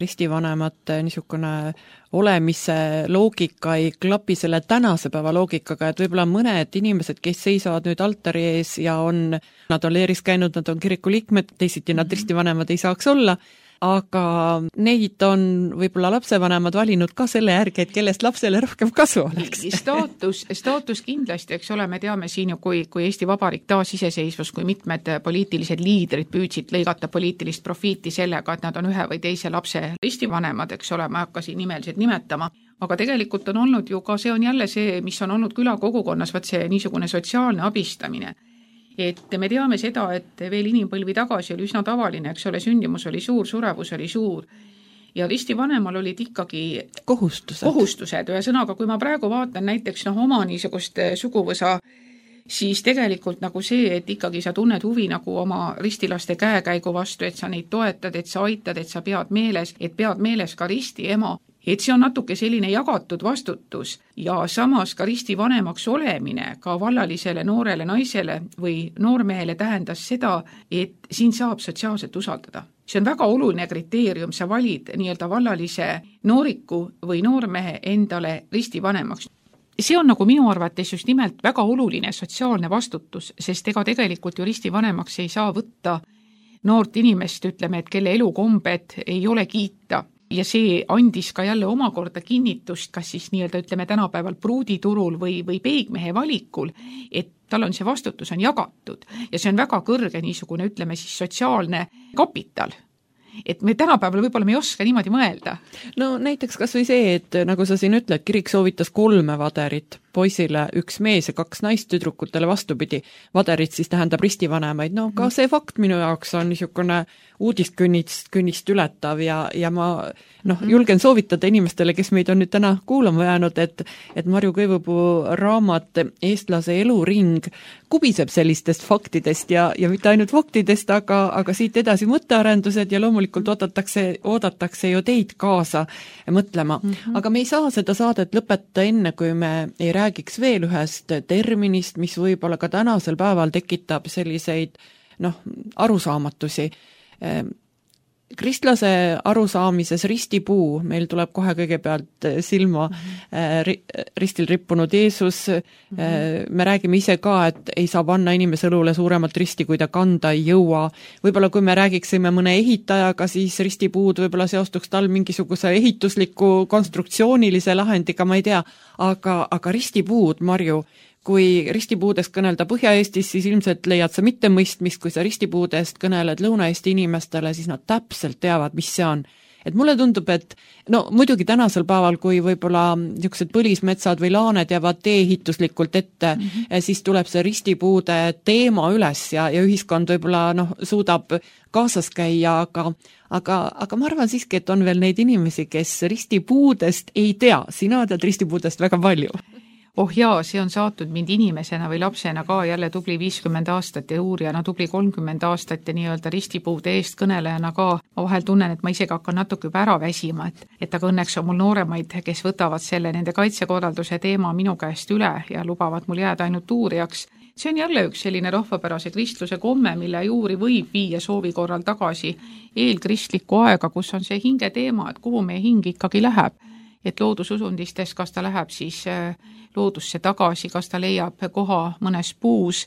ristivanemate niisugune olemise loogika ei klapi selle tänase päeva loogikaga, et võib-olla mõned inimesed, kes seisavad nüüd altari ees ja on, nad on leeris käinud, nad on kiriku liikmed, teisiti nad ristivanemad ei saaks olla, aga neid on võib-olla lapsevanemad valinud ka selle järgi, et kellest lapsele rohkem kasu oleks. Staatus, staatus kindlasti, eks ole, me teame siin ju, kui, kui Eesti Vabariik taas iseseisvus, kui mitmed poliitilised liidrid püüdsid lõigata poliitilist profiiti sellega, et nad on ühe või teise lapse ristivanemad, eks ole, ma hakkasin nimeliselt nimetama. Aga tegelikult on olnud ju ka, see on jälle see, mis on olnud külakogukonnas, vaat see niisugune sotsiaalne abistamine. Et me teame seda, et veel inimpõlvi tagasi oli üsna tavaline, eks ole, sündimus oli suur, surevus oli suur ja ristivanemal olid ikkagi kohustused. kohustused. Ühesõnaga, kui ma praegu vaatan näiteks noh, oma niisugust suguvõsa, siis tegelikult nagu see, et ikkagi sa tunned huvi nagu oma ristilaste käekäigu vastu, et sa neid toetad, et sa aitad, et sa pead meeles, et pead meeles ka risti ema. Et see on natuke selline jagatud vastutus ja samas ka ristivanemaks olemine ka vallalisele noorele naisele või noormehele tähendas seda, et siin saab sotsiaalselt usaldada. See on väga oluline kriteerium, sa valid nii-öelda vallalise nooriku või noormehe endale ristivanemaks. See on nagu minu arvates just nimelt väga oluline sotsiaalne vastutus, sest ega tegelikult ju ristivanemaks ei saa võtta noort inimest, ütleme, et kelle elukombed ei ole kiita. Ja see andis ka jälle omakorda kinnitust, kas siis nii-öelda ütleme tänapäeval pruuditurul või, või peigmehe valikul, et tal on see vastutus on jagatud ja see on väga kõrge niisugune, ütleme siis sotsiaalne kapital. Et me tänapäeval võib-olla me ei oska niimoodi mõelda. No näiteks kas või see, et nagu sa siin ütled, kirik soovitas kolme vaderit, poisile üks mees ja kaks naist, tüdrukutele vastupidi. Vaderit siis tähendab ristivanemaid. No ka see fakt minu jaoks on niisugune uudiskünnist künnist ületav ja, ja ma noh, julgen soovitada inimestele, kes meid on nüüd täna kuulama jäänud, et, et Marju Kõivupuu raamat Eestlase eluring kubiseb sellistest faktidest ja, ja mitte ainult faktidest, aga, aga siit edasi mõttearendused ja loomulikult oodatakse, oodatakse ju teid kaasa mõtlema. Mm-hmm. Aga me ei saa seda saadet lõpetada enne, kui me ei räägiks veel ühest terminist, mis võib-olla ka tänasel päeval tekitab selliseid noh, arusaamatusi. kristlase arusaamises ristipuu, meil tuleb kohe kõigepealt silma mm-hmm. ristil rippunud Jeesus, mm-hmm. me räägime ise ka, et ei saa panna inimese õlule suuremat risti, kui ta kanda ei jõua. Võib-olla kui me räägiksime mõne ehitajaga, siis ristipuud võib-olla seostuks tal mingisuguse ehitusliku konstruktsioonilise lahendiga, ma ei tea, aga, aga ristipuud, Marju, kui ristipuudest kõnelda Põhja-Eestis, siis ilmselt leiad sa mitte mõistmist, kui sa ristipuudest kõneled Lõuna-Eesti inimestele, siis nad täpselt teavad, mis see on. Et mulle tundub, et no muidugi tänasel päeval, kui võib-olla niisugused põlismetsad või laaned jäävad tee-ehituslikult ette, mm-hmm. siis tuleb see ristipuude teema üles ja, ja ühiskond võib-olla noh, suudab kaasas käia, aga, aga, aga ma arvan siiski, et on veel neid inimesi, kes ristipuudest ei tea. Sina tead ristipuudest väga palju. Oh jaa, see on saatnud mind inimesena või lapsena ka jälle tubli viiskümmend aastat ja uurijana tubli kolmkümmend aastat ja nii-öelda ristipuude eest kõnelejana ka. Ma vahel tunnen, et ma isegi hakkan natuke juba ära väsima, et, et aga õnneks on mul nooremaid, kes võtavad selle nende kaitsekorralduse teema minu käest üle ja lubavad mul jääda ainult uurijaks. See on jälle üks selline rahvapärase kristluse komme, mille juuri võib viia soovi korral tagasi eelkristlikku aega, kus on see hinge teema, et kuhu meie hing ikkagi läheb. Et loodususundistes, kas ta läheb siis loodusse tagasi, kas ta leiab koha mõnes puus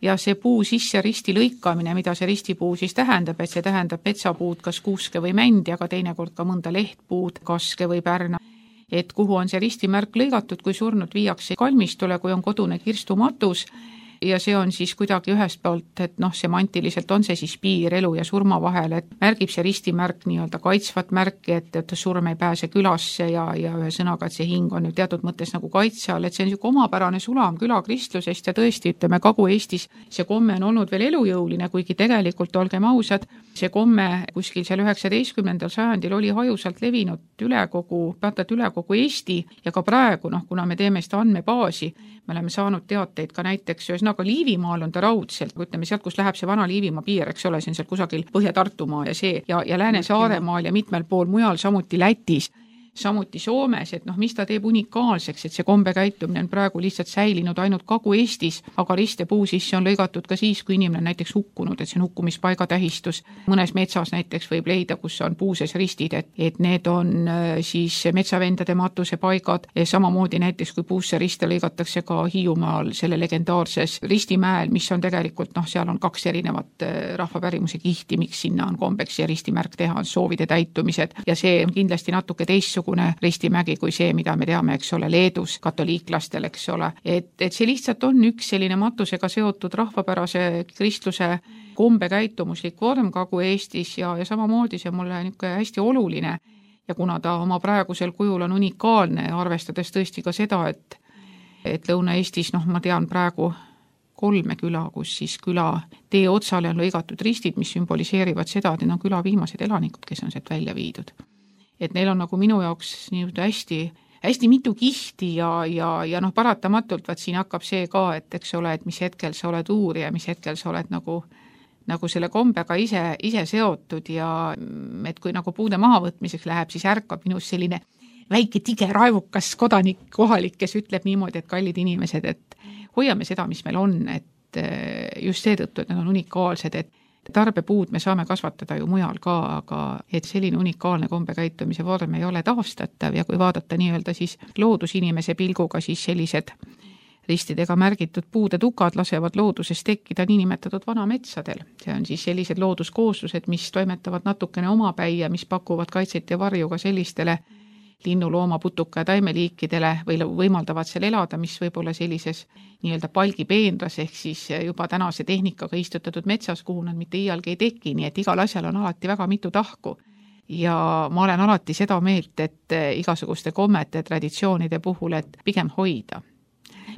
ja see puu sisse risti lõikamine, mida see ristipuu siis tähendab, et see tähendab metsapuud, kas kuuske või mändi, aga teinekord ka mõnda lehtpuud, kaske või pärna. Et kuhu on see ristimärk lõigatud, kui surnud viiakse kalmistule, kui on kodune kirstumatus ja see on siis kuidagi ühest poolt, et noh, semantiliselt on see siis piir elu ja surma vahel, et märgib see ristimärk nii-öelda kaitsvat märki, et, et surm ei pääse külasse ja, ja ühe sõnaga, et see hing on ju teatud mõttes nagu kaitse all, et see on niisugune omapärane sulam külakristlusest ja tõesti, ütleme, Kagu-Eestis see komme on olnud veel elujõuline, kuigi tegelikult, olgem ausad, see komme kuskil seal üheksateistkümnendal sajandil oli hajusalt levinud üle kogu, päätad üle kogu Eesti ja ka praegu, noh, kuna me teeme seda andmebaasi, me oleme saanud teateid ka näiteks ühesõnaga Liivimaal on ta raudselt, ütleme sealt, kus läheb see vana Liivimaa piir, eks ole, see on seal kusagil Põhja-Tartumaa ja see ja, ja Lääne-Saaremaal ja mitmel pool mujal, samuti Lätis, samuti Soomes, et noh, mis ta teeb unikaalseks, et see kombe käitumine on praegu lihtsalt säilinud ainult Kagu-Eestis, aga ristepuu sisse on lõigatud ka siis, kui inimene on näiteks hukkunud, et see on hukkumispaiga tähistus. Mõnes metsas näiteks võib leida, kus on puuses ristid, et, et need on siis metsavendade matusepaigad ja samamoodi näiteks, kui puusse riste lõigatakse ka Hiiumaal selle legendaarses ristimäel, mis on tegelikult, noh, seal on kaks erinevat rahvapärimuse kihti, miks sinna on kombeks ja ristimärk teha, on soovide täitumised ja see on kindlasti natuke teistsugune ristimägi kui see, mida me teame, eks ole, Leedus katoliiklastel, eks ole. Et, et see lihtsalt on üks selline matusega seotud rahvapärase kristluse kombe käitumuslik vorm Kagu-Eestis ja, ja samamoodi see mulle niisugune hästi oluline ja kuna ta oma praegusel kujul on unikaalne, arvestades tõesti ka seda, et, et Lõuna-Eestis, noh, ma tean praegu kolme küla, kus siis küla tee otsale on lõigatud ristid, mis sümboliseerivad seda, et need on küla viimased elanikud, kes on sealt välja viidud. Et neil on nagu minu jaoks nii hästi, hästi mitu kihti ja, ja, ja noh, paratamatult vaat siin hakkab see ka, et eks ole, et mis hetkel sa oled uurija, mis hetkel sa oled nagu, nagu selle kombega ise, ise seotud ja et kui nagu puude mahavõtmiseks läheb, siis ärkab minus selline väike tige raevukas kodanik kohalik, kes ütleb niimoodi, et kallid inimesed, et hoiame seda, mis meil on, et just seetõttu, et need on unikaalsed, et tarbepuud me saame kasvatada ju mujal ka, aga et selline unikaalne kombekäitumise vorm ei ole taastatav ja kui vaadata nii-öelda siis loodusinimese pilguga, siis sellised ristidega märgitud puude tukad lasevad looduses tekkida niinimetatud vanametsadel. See on siis sellised looduskooslused, mis toimetavad natukene omapäi ja mis pakuvad kaitset ja varju ka sellistele linnu, looma, putuka ja taimeliikidele või võimaldavad seal elada, mis võib-olla sellises nii-öelda palgipeenras ehk siis juba tänase tehnikaga istutatud metsas, kuhu nad mitte iialgi ei teki, nii et igal asjal on alati väga mitu tahku. Ja ma olen alati seda meelt, et igasuguste kommete traditsioonide puhul, et pigem hoida.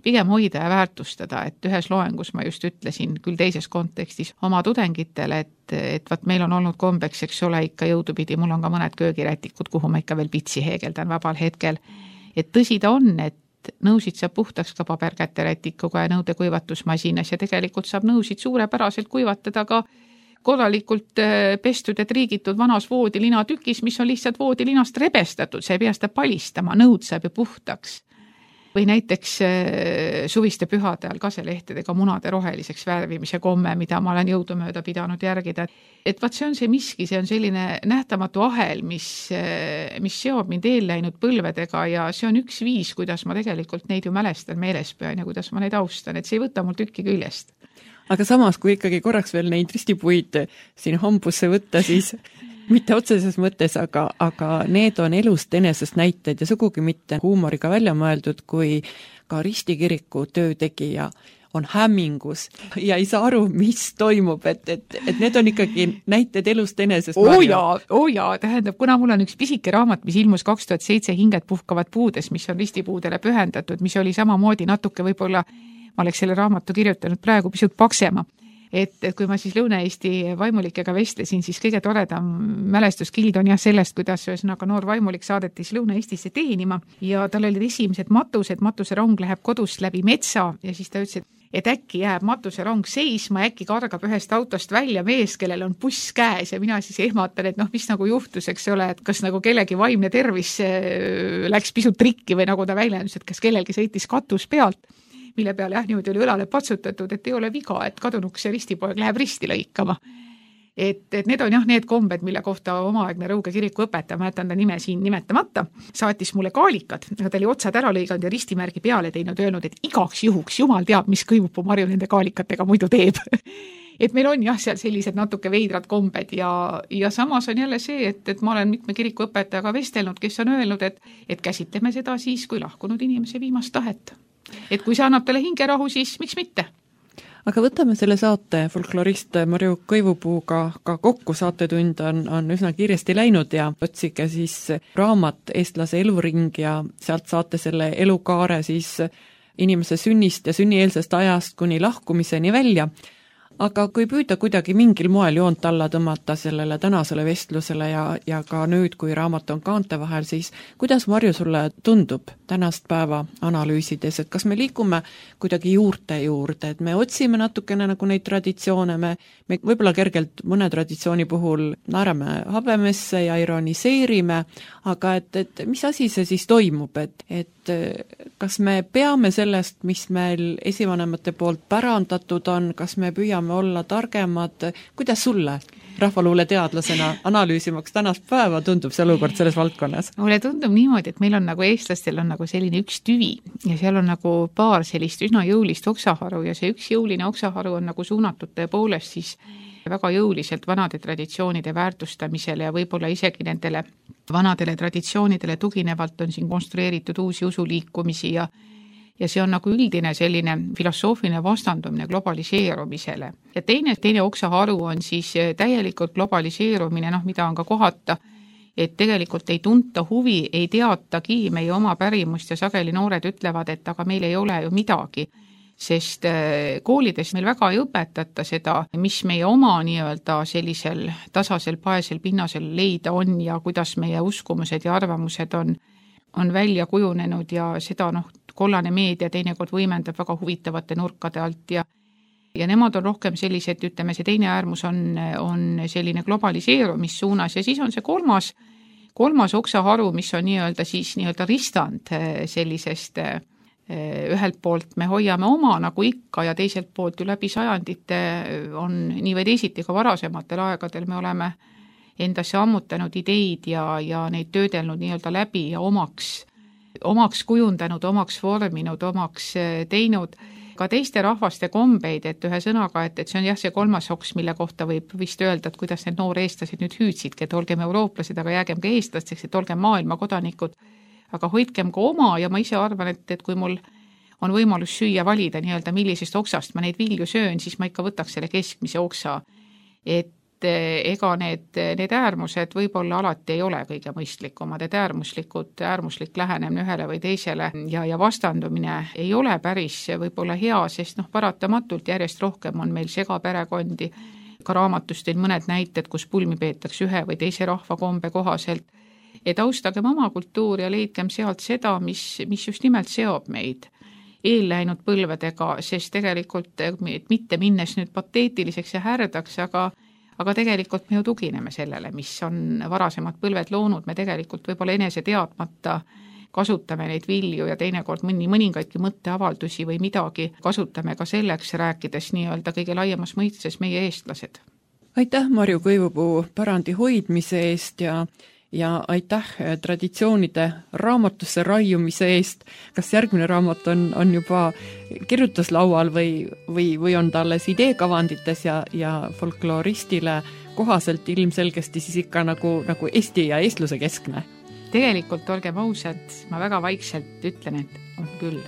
Pigem hoida ja väärtustada, et ühes loengus ma just ütlesin küll teises kontekstis oma tudengitele, et, et vaat meil on olnud kombeks, eks ole, ikka jõudupidi, mul on ka mõned köögirätikud, kuhu ma ikka veel pitsi heegeldan vabal hetkel. Et tõsi ta on, et nõusid saab puhtaks ka paberkäterätikuga ja nõude kuivatusmasinas ja tegelikult saab nõusid suurepäraselt kuivatada ka korralikult pestud ja triigitud vanas voodilina tükis, mis on lihtsalt voodilinast rebestatud, see ei pea seda palistama, nõud saab ju puhtaks. või näiteks suviste pühade ajal kaselehtedega munade roheliseks värvimise komme, mida ma olen jõudumööda pidanud järgida. Et vaat see on see miski, see on selline nähtamatu ahel, mis, mis seob mind eelläinud põlvedega ja see on üks viis, kuidas ma tegelikult neid ju mälestan, meeles pean ja kuidas ma neid austan, et see ei võta mul tükki küljest. Aga samas, kui ikkagi korraks veel neid ristipuid siin hambusse võtta, siis mitte otseses mõttes, aga, aga need on elust enesest näited ja sugugi mitte huumoriga välja mõeldud, kui ka ristikiriku töötegija on hämmingus ja ei saa aru, mis toimub, et, et, et need on ikkagi näited elust enesest. Oo jaa, oo jaa, tähendab, kuna mul on üks pisike raamat, mis ilmus kaks tuhat seitse Hinged puhkavad puudes, mis on ristipuudele pühendatud, mis oli samamoodi natuke võib-olla, ma oleks selle raamatu kirjutanud praegu pisut paksema. Et, et kui ma siis Lõuna-Eesti vaimulikega vestlesin, siis kõige toredam mälestuskild on jah sellest, kuidas ühesõnaga noor vaimulik saadetis Lõuna-Eestisse teenima ja tal olid esimesed matused, matuserong läheb kodust läbi metsa ja siis ta ütles, et äkki jääb matuserong seisma, äkki kargab ühest autost välja mees, kellel on buss käes ja mina siis ehmatan, et noh, mis nagu juhtus, eks ole, et kas nagu kellegi vaimne tervis läks pisut trikki või nagu ta väljendus, et kas kellelgi sõitis katus pealt, mille peale jah, niimoodi oli õlale patsutatud, et ei ole viga, et kadunuks see ristipoeg läheb risti lõikama. Et, et need on jah need kombed, mille kohta omaaegne Rõuge kiriku õpetaja, ma jätan ta nime siin nimetamata, saatis mulle kaalikad, aga ta oli otsad ära lõiganud ja ristimärgi peale teinud, öelnud, et igaks juhuks jumal teab, mis Kõivupuu Marju nende kaalikatega muidu teeb. Et meil on jah seal sellised natuke veidrad kombed ja, ja samas on jälle see, et, et ma olen mitme kiriku õpetajaga vestelnud, kes on öelnud, et, et käsitleme seda siis, kui lahkunud inimese viimast tahet. Et kui see annab talle hingerahu, siis miks mitte? Aga võtame selle saate folklorist Marju Kõivupuuga ka kokku, saatetund on, on üsna kiiresti läinud ja otsige siis raamat Eestlase eluring ja sealt saate selle elukaare siis inimese sünnist ja sünnieelsest ajast kuni lahkumiseni välja. Aga kui püüda kuidagi mingil moel joont alla tõmmata sellele tänasele vestlusele ja, ja ka nüüd, kui raamat on kaante vahel, siis kuidas, Marju, sulle tundub tänast päeva analüüsides, et kas me liigume kuidagi juurte juurde, et me otsime natukene nagu neid traditsioone, me, me võib-olla kergelt mõne traditsiooni puhul naerame habemesse ja ironiseerime, aga et, et mis asi see siis toimub, et, et kas me peame sellest, mis meil esivanemate poolt pärandatud on, kas me püüame olla targemad, kuidas sulle rahvaluule teadlasena analüüsimaks tänast päeva tundub see olukord selles valdkonnas? Mulle tundub niimoodi, et meil on nagu eestlastel on nagu selline üks tüvi ja seal on nagu paar sellist üsna jõulist oksaharu ja see üks jõuline oksaharu on nagu suunatud tõepoolest siis väga jõuliselt vanade traditsioonide väärtustamisele ja võib-olla isegi nendele vanadele traditsioonidele tuginevalt on siin konstrueeritud uusi usuliikumisi ja ja see on nagu üldine selline filosoofiline vastandumine globaliseerumisele. Ja teine, teine oksaharu on siis täielikult globaliseerumine, noh, mida on ka kohata, et tegelikult ei tunta huvi, ei teatagi meie oma pärimust ja sageli noored ütlevad, et aga meil ei ole ju midagi, sest koolides meil väga ei õpetata seda, mis meie oma nii-öelda sellisel tasasel paesel pinnasel leida on ja kuidas meie uskumused ja arvamused on, on välja kujunenud ja seda noh, kollane meedia teinekord võimendab väga huvitavate nurkade alt ja ja nemad on rohkem sellised, ütleme, see teine äärmus on, on selline globaliseerumissuunas ja siis on see kolmas, kolmas oksaharu, mis on nii-öelda siis nii-öelda ristand sellisest ühelt poolt me hoiame oma nagu ikka ja teiselt poolt ju läbi sajandite on nii või teisiti ka varasematel aegadel me oleme endasse ammutanud ideid ja, ja neid töödelnud nii-öelda läbi ja omaks, omaks kujundanud, omaks vorminud, omaks teinud ka teiste rahvaste kombeid, et ühe sõnaga, et, et see on jah see kolmas oks, mille kohta võib vist öelda, et kuidas need noor eestlased nüüd hüüdsidki, et olgem eurooplased, aga jäägem ka eestlasteks, et olgem maailma kodanikud, aga hoidkem ka oma ja ma ise arvan, et, et kui mul on võimalus süüa valida nii-öelda millisest oksast ma neid vilju söön, siis ma ikka võtaks selle keskmise oksa, et ega need, need äärmused võib-olla alati ei ole kõige mõistlikumad, et äärmuslikud, äärmuslik lähenemine ühele või teisele ja, ja vastandumine ei ole päris võib-olla hea, sest noh, paratamatult järjest rohkem on meil segaperekondi, ka raamatust teil mõned näited, kus pulmi peetakse ühe või teise rahvakombe kohaselt, et austagem oma kultuuri ja leidkem sealt seda, mis, mis just nimelt seob meid eelläinud põlvedega, sest tegelikult mitte minnes nüüd pateetiliseks ja härdaks, aga aga tegelikult me ju tugineme sellele, mis on varasemad põlved loonud, me tegelikult võib-olla enese teadmata kasutame neid vilju ja teinekord mõni mõningaidki mõtteavaldusi või midagi kasutame ka selleks, rääkides nii-öelda kõige laiemas mõistes meie eestlased. Aitäh Marju Kõivupuu pärandi hoidmise eest ja ja aitäh traditsioonide raamatusse raiumise eest. Kas järgmine raamat on, on juba kirjutuslaual või, või, või on ta alles ideekavandites ja, ja folkloristile kohaselt ilmselgesti siis ikka nagu, nagu Eesti ja eestluse keskne? Tegelikult olgem ausad, ma väga vaikselt ütlen, et on küll.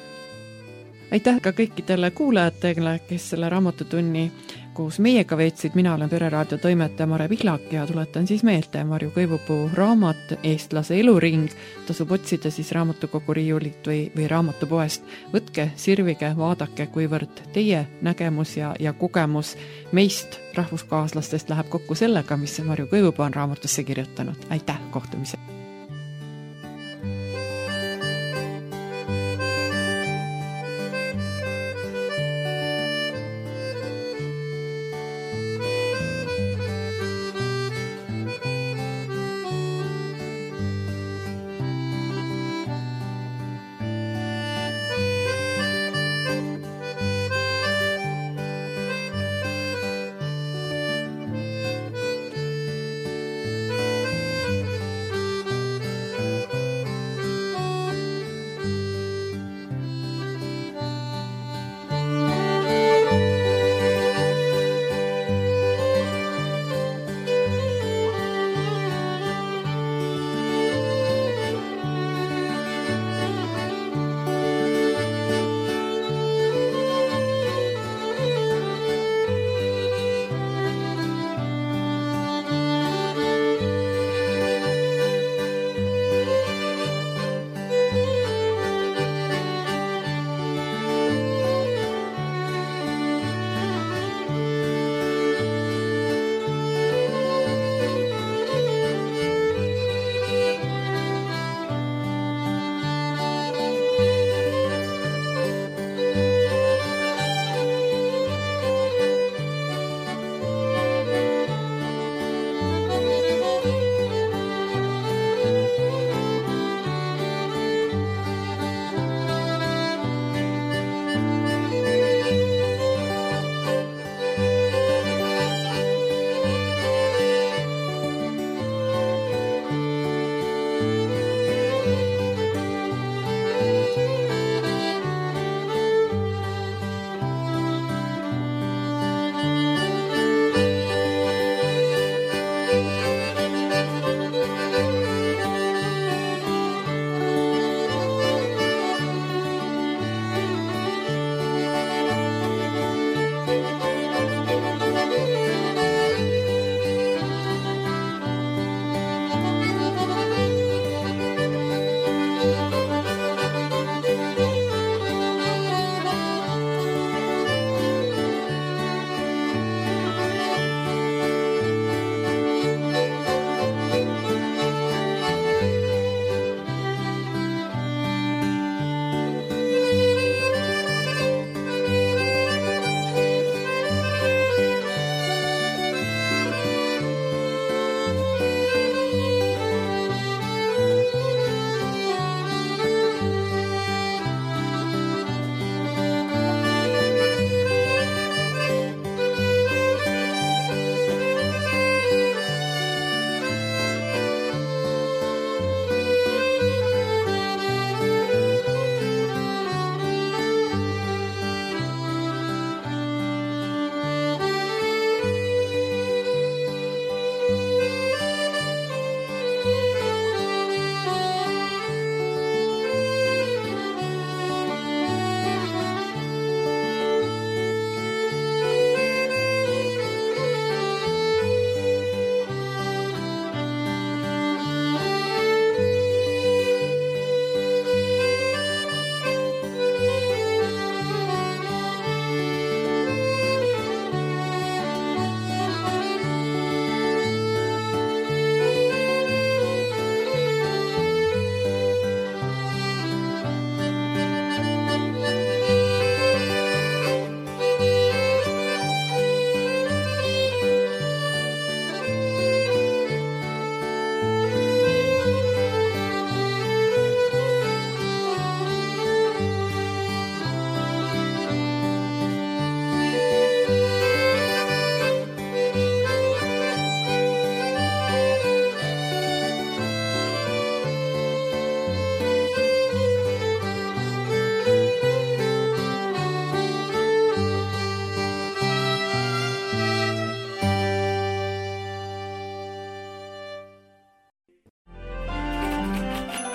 Aitäh ka kõikidele kuulajatele, kes selle raamatutunni koos meiega veetsid. Mina olen Pereraadio toimetaja Mare Pihlak ja tuletan siis meelde Marju Kõivupuu raamat Eestlase eluring. Tasub otsida siis raamatukogu riiulit või, või raamatupoest. Võtke, sirvige, vaadake, kuivõrd teie nägemus ja, ja kogemus meist rahvuskaaslastest läheb kokku sellega, mis Marju Kõivupuu on raamatusse kirjutanud. Aitäh, kohtumise!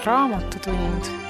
Raamatutund.